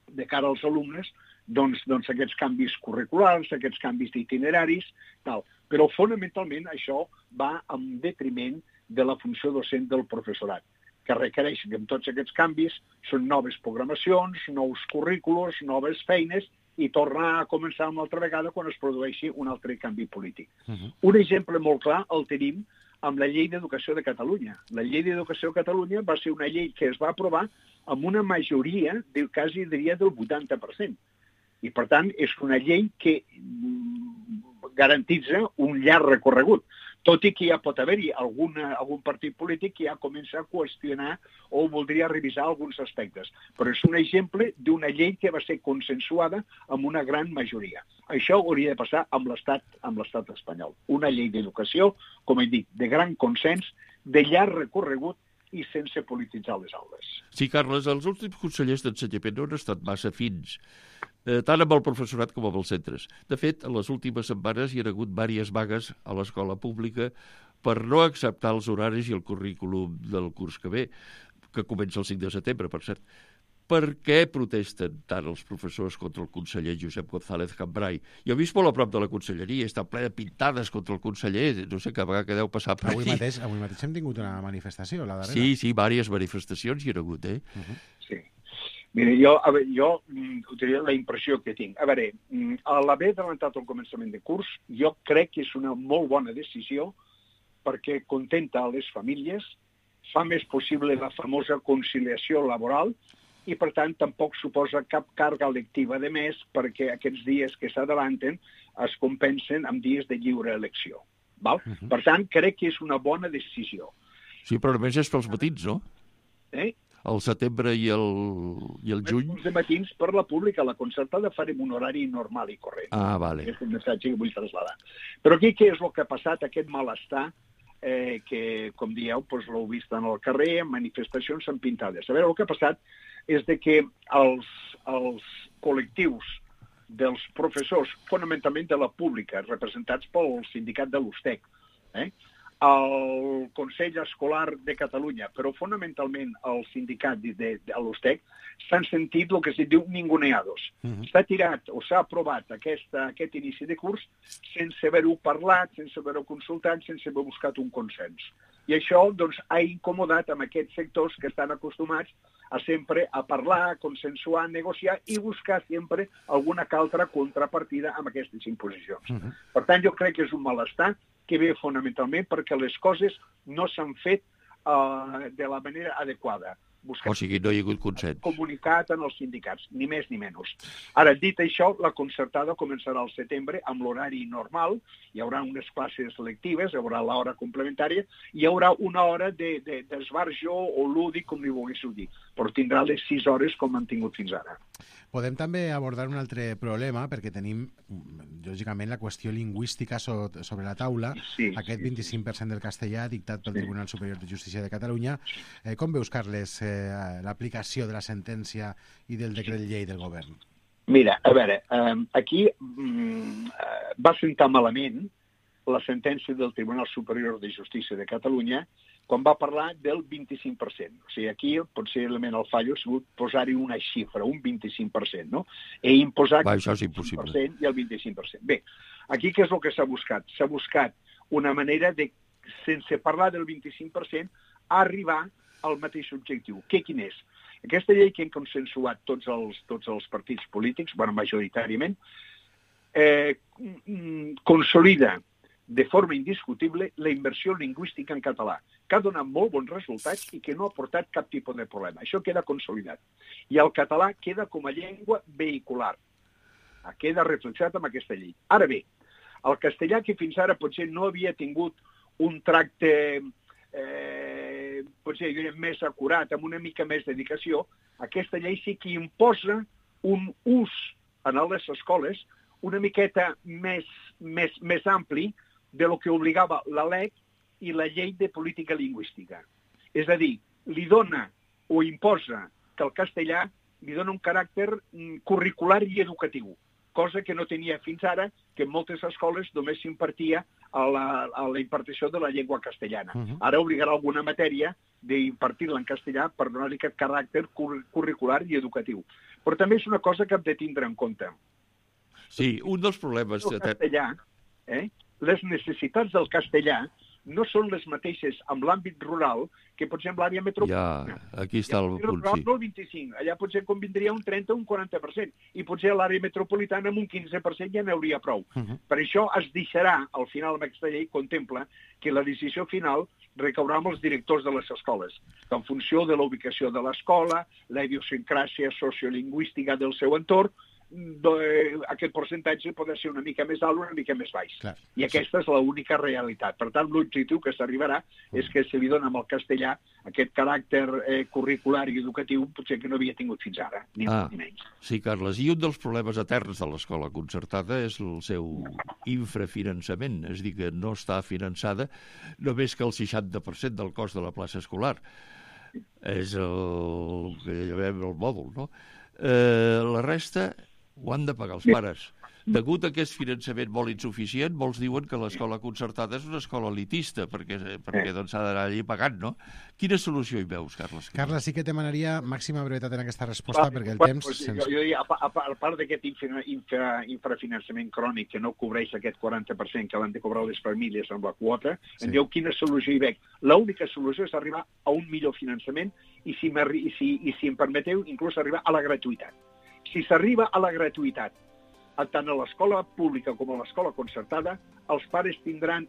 de cara als alumnes, doncs, doncs aquests canvis curriculars, aquests canvis d'itineraris, tal. Però fonamentalment això va en detriment de la funció docent del professorat, que requereix que amb tots aquests canvis són noves programacions, nous currículos, noves feines, i tornar a començar una altra vegada quan es produeixi un altre canvi polític. Uh-huh. Un exemple molt clar el tenim amb la llei d'educació de Catalunya. La llei d'educació de Catalunya va ser una llei que es va aprovar amb una majoria, del quasi diria del vuitanta per cent. I, per tant, és una llei que garantitza un llarg recorregut, tot i que ja pot haver-hi alguna, algun partit polític que ja comença a qüestionar o voldria revisar alguns aspectes. Però és un exemple d'una llei que va ser consensuada amb una gran majoria. Això hauria de passar amb l'Estat amb l'Estat espanyol. Una llei d'educació, com he dit, de gran consens, de llarg recorregut i sense polititzar les aules. Sí, Carles, els últims consellers d'ensenyament no han estat massa fins. eh, tant amb el professorat com amb els centres. De fet, en les últimes setmanes hi ha hagut diverses vagues a l'escola pública per no acceptar els horaris i el currículum del curs que ve, que comença el cinc de setembre, per cert. Per què protesten tant els professors contra el conseller Josep González Cambray? Jo he vist molt a prop de la conselleria, està ple de pintades contra el conseller, no sé, cada vegada que deu passar per avui aquí. Mateix, avui mateix hem tingut una manifestació, la darrera. Sí, sí, diverses manifestacions hi ha hagut, eh? Uh -huh. Sí. Mira, jo, a veure, jo mm, la impressió que tinc. A veure, a l'haver adelantat el començament de curs, jo crec que és una molt bona decisió perquè contenta a les famílies, fa més possible la famosa conciliació laboral i, per tant, tampoc suposa cap càrrega lectiva de més perquè aquests dies que s'adalanten es compensen amb dies de lliure elecció. Val? Uh -huh. Per tant, crec que és una bona decisió. Sí, però només és pels matins, no? Eh? El setembre i el, i el juny... Els de matins per la pública, la concertada farem un horari normal i corrent. Ah, vale. És un missatge que vull traslladar. Però aquí què és el que ha passat, aquest malestar, eh, que, com dieu, doncs, l'heu vist en el carrer, en manifestacions, en pintades. A veure, el que ha passat és de que els, els col·lectius dels professors, fonamentalment de la pública, representats pel sindicat de l'U S T E C, eh? el Consell Escolar de Catalunya, però fonamentalment el sindicat de, de, de l'U S T E C, s'han sentit el que es diu ninguneados. Uh-huh. S'ha tirat o s'ha aprovat aquesta, aquest inici de curs sense haver-ho parlat, sense haver-ho consultat, sense haver buscat un consens. I això doncs, ha incomodat amb aquests sectors que estan acostumats a sempre a parlar, a consensuar, a negociar i buscar sempre alguna altra contrapartida amb aquestes imposicions. Uh-huh. Per tant, jo crec que és un malestar que ve fonamentalment perquè les coses no s'han fet uh, de la manera adequada. Buscat, o sigui, no hi ha hagut consens. Comunicat en els sindicats, ni més ni menys. Ara, dit això, la concertada començarà al setembre amb l'horari normal, hi haurà unes classes selectives, hi haurà l'hora complementària, hi haurà una hora d'esbarjo de, de o lúdic, com li volguéssiu dir, però tindrà les sis hores com han tingut fins ara. Podem també abordar un altre problema, perquè tenim, lògicament, la qüestió lingüística so sobre la taula, sí, aquest vint-i-cinc per cent del castellà dictat pel sí. Tribunal Superior de Justícia de Catalunya. Eh, com veus, Carles, eh, l'aplicació de la sentència i del decret llei del govern? Mira, a veure, eh, aquí mm, eh, va sentar malament la sentència del Tribunal Superior de Justícia de Catalunya quan va parlar del vint-i-cinc per cent. O sigui, aquí possiblement el fallo ha sigut posar-hi una xifra, un vint-i-cinc per cent, no? E imposar Va, això és impossible. el vint per cent i el vint-i-cinc per cent. Bé, aquí què és el que s'ha buscat? S'ha buscat una manera de, sense parlar del vint-i-cinc per cent, arribar al mateix objectiu. Què quin és? Aquesta llei que hem consensuat tots els, tots els partits polítics, bueno, majoritàriament, eh, consolida de forma indiscutible la immersió lingüística en català, que ha donat molt bons resultats i que no ha portat cap tipus de problema. Això queda consolidat. I el català queda com a llengua vehicular. Queda reflexat amb aquesta llei. Ara bé, el castellà, que fins ara potser no havia tingut un tracte eh, potser més acurat, amb una mica més dedicació, aquesta llei sí que imposa un ús en les escoles una miqueta més, més, més ampli de lo que obligava la L E C i la llei de política lingüística. És a dir, li dona o imposa que el castellà li dona un caràcter curricular i educatiu, cosa que no tenia fins ara, que en moltes escoles només s'impartia a la, a la impartició de la llengua castellana. Uh-huh. Ara obligarà alguna matèria d'impartir-la en castellà per donar-li aquest caràcter curricular i educatiu. Però també és una cosa que hem de tindre en compte. Sí, un dels problemes... El castellà, eh? Les necessitats del castellà no són les mateixes amb l'àmbit rural que, per exemple, l'àrea metropolitana. Ja, aquí està el punt, sí. No el vint-i-cinc, allà potser convindria un trenta o un quaranta per cent, i potser a l'àrea metropolitana amb un quinze per cent ja n'hauria prou. Uh-huh. Per això es deixarà, al final, amb aquesta llei, contempla que la decisió final recaurà amb els directors de les escoles, que en funció de la ubicació de l'escola, la idiosincràsia sociolingüística del seu entorn, aquest percentatge pot ser una mica més alt o una mica més baix. Clar, I aquesta sí. és l'única realitat. Per tant, l'objectiu que s'arribarà mm. és que se li dona amb el castellà aquest caràcter eh, curricular i educatiu potser que no havia tingut fins ara, ni ah, ni menys. Sí, Carles, i un dels problemes eterns de l'escola concertada és el seu infrafinançament, és a dir, que no està finançada només que el seixanta per cent del cost de la plaça escolar. És el que llamem el mòdul, no? Eh, la resta Ho han de pagar els pares. Degut a aquest finançament molt insuficient, molts diuen que l'escola concertada és una escola elitista, perquè, perquè doncs, s'ha d'anar allí pagant, no? Quina solució hi veus, Carles? Carles, sí que te demanaria màxima brevetat en aquesta resposta, Ah, perquè el bueno, temps... Pues, Sense... jo, jo, a, a, a part d'aquest infra, infra, infrafinançament crònic que no cobreix aquest quaranta per cent que van de cobrar les famílies amb la quota, sí. Em diu quina solució hi veig. L'única solució és arribar a un millor finançament i si, i si, i si em permeteu, inclús arribar a la gratuïtat. Si s'arriba a la gratuïtat, tant a l'escola pública com a l'escola concertada, els pares tindran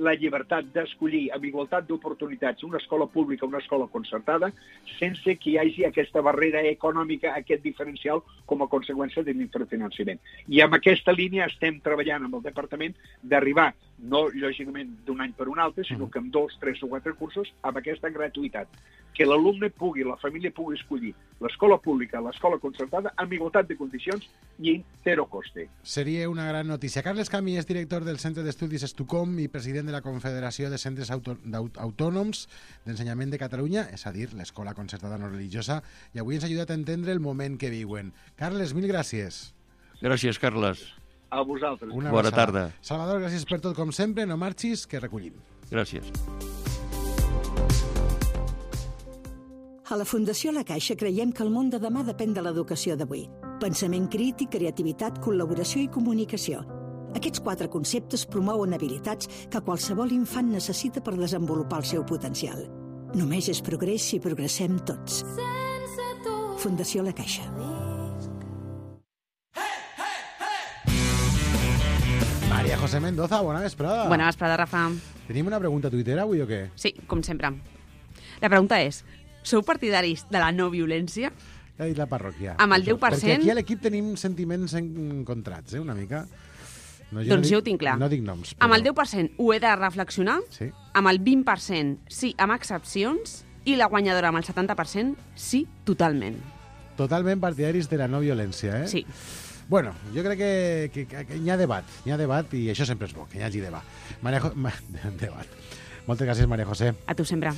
la llibertat d'escollir amb igualtat d'oportunitats una escola pública o una escola concertada sense que hi hagi aquesta barrera econòmica, aquest diferencial com a conseqüència de l'infrafinançament. I amb aquesta línia estem treballant amb el departament d'arribar, no lògicament d'un any per un altre, sinó que amb dos, tres o quatre cursos, amb aquesta gratuïtat. Que l'alumne pugui, la família pugui escollir l'escola pública, l'escola concertada, amb igualtat de condicions i en zero coste. Seria una gran notícia. Carles Camí és director del Centre d'Estudis Estucom i president de la Confederació de Centres Auto Autònoms d'Ensenyament de Catalunya, és a dir, l'escola concertada no religiosa, i avui ens ha ajudat a entendre el moment que viuen. Carles, mil gràcies. Gràcies, Carles. A vosaltres. Una Bona abraçada. tarda. Salvador, gràcies per tot, com sempre. No marxis, que recollim. Gràcies. A la Fundació La Caixa creiem que el món de demà depèn de l'educació d'avui. Pensament crític, creativitat, col·laboració i comunicació. Aquests quatre conceptes promouen habilitats que qualsevol infant necessita per desenvolupar el seu potencial. Només és progrés si progressem tots. Fundació La Caixa. María José Mendoza, bona vesprada. Bona vesprada, Rafa. Tenim una pregunta a Twitter avui o què? Sí, com sempre. La pregunta és, sou partidaris de la no violència? Ja ha dit la parròquia. Amb el deu per cent... Perquè aquí a l'equip tenim sentiments encontrats, eh, una mica. No, jo doncs no dic, jo ho tinc clar. No dic noms. Però... Amb el deu per cent ho he de reflexionar, sí. Amb el vint per cent sí, amb excepcions, i la guanyadora amb el setanta per cent sí, totalment. Totalment partidaris de la no violència, eh? Sí. Bueno, jo crec que, que, que, que hi ha debat, hi ha debat i això sempre és bo, que hi hagi debat. Maria jo... Ma... debat. Moltes gràcies, Maria José. A tu sempre.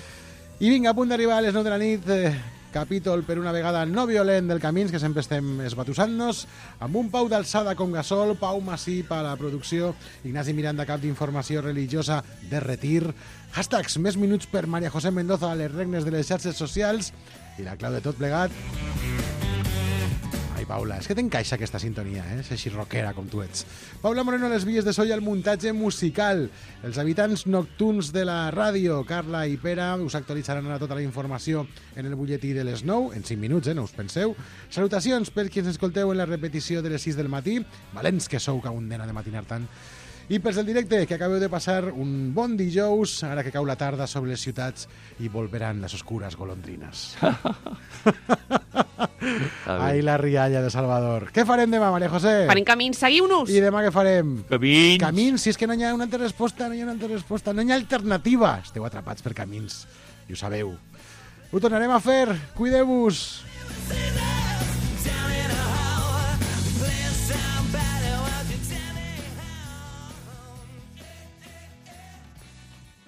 I vinga, a punt d'arribar a les nou de la nit, eh, capítol per una vegada no violent del Camins, que sempre estem esbatussant-nos, amb un Pau d'alçada com Gasol, Pau Massip a la producció, Ignasi Miranda, cap d'informació religiosa de retir, hashtags més minuts per Maria José Mendoza a les regnes de les xarxes socials, i la clau de tot plegat... Ai, Paula, és que t'encaixa aquesta sintonia, eh? És així rockera com tu ets. Paula Moreno a les vies de so i al muntatge musical. Els habitants nocturns de la ràdio, Carla i Pere, us actualitzaran ara tota la informació en el butlletí de les nou, en cinc minuts, eh? No us penseu. Salutacions per qui ens escolteu en la repetició de les sis del matí. Valents que sou, que un nena de matinar tant. I pels del directe, que acabeu de passar un bon dijous, ara que cau la tarda sobre les ciutats i volveran les oscures golondrines. Ai, la rialla de Salvador. Què farem demà, Maria José? Farem camins, seguiu-nos! I demà què farem? Camins! Camins, si és que no hi ha una altra resposta, no hi ha una altra resposta, no hi ha alternativa. Esteu atrapats per camins, i ho sabeu. Ho tornarem a fer, cuideu-vos!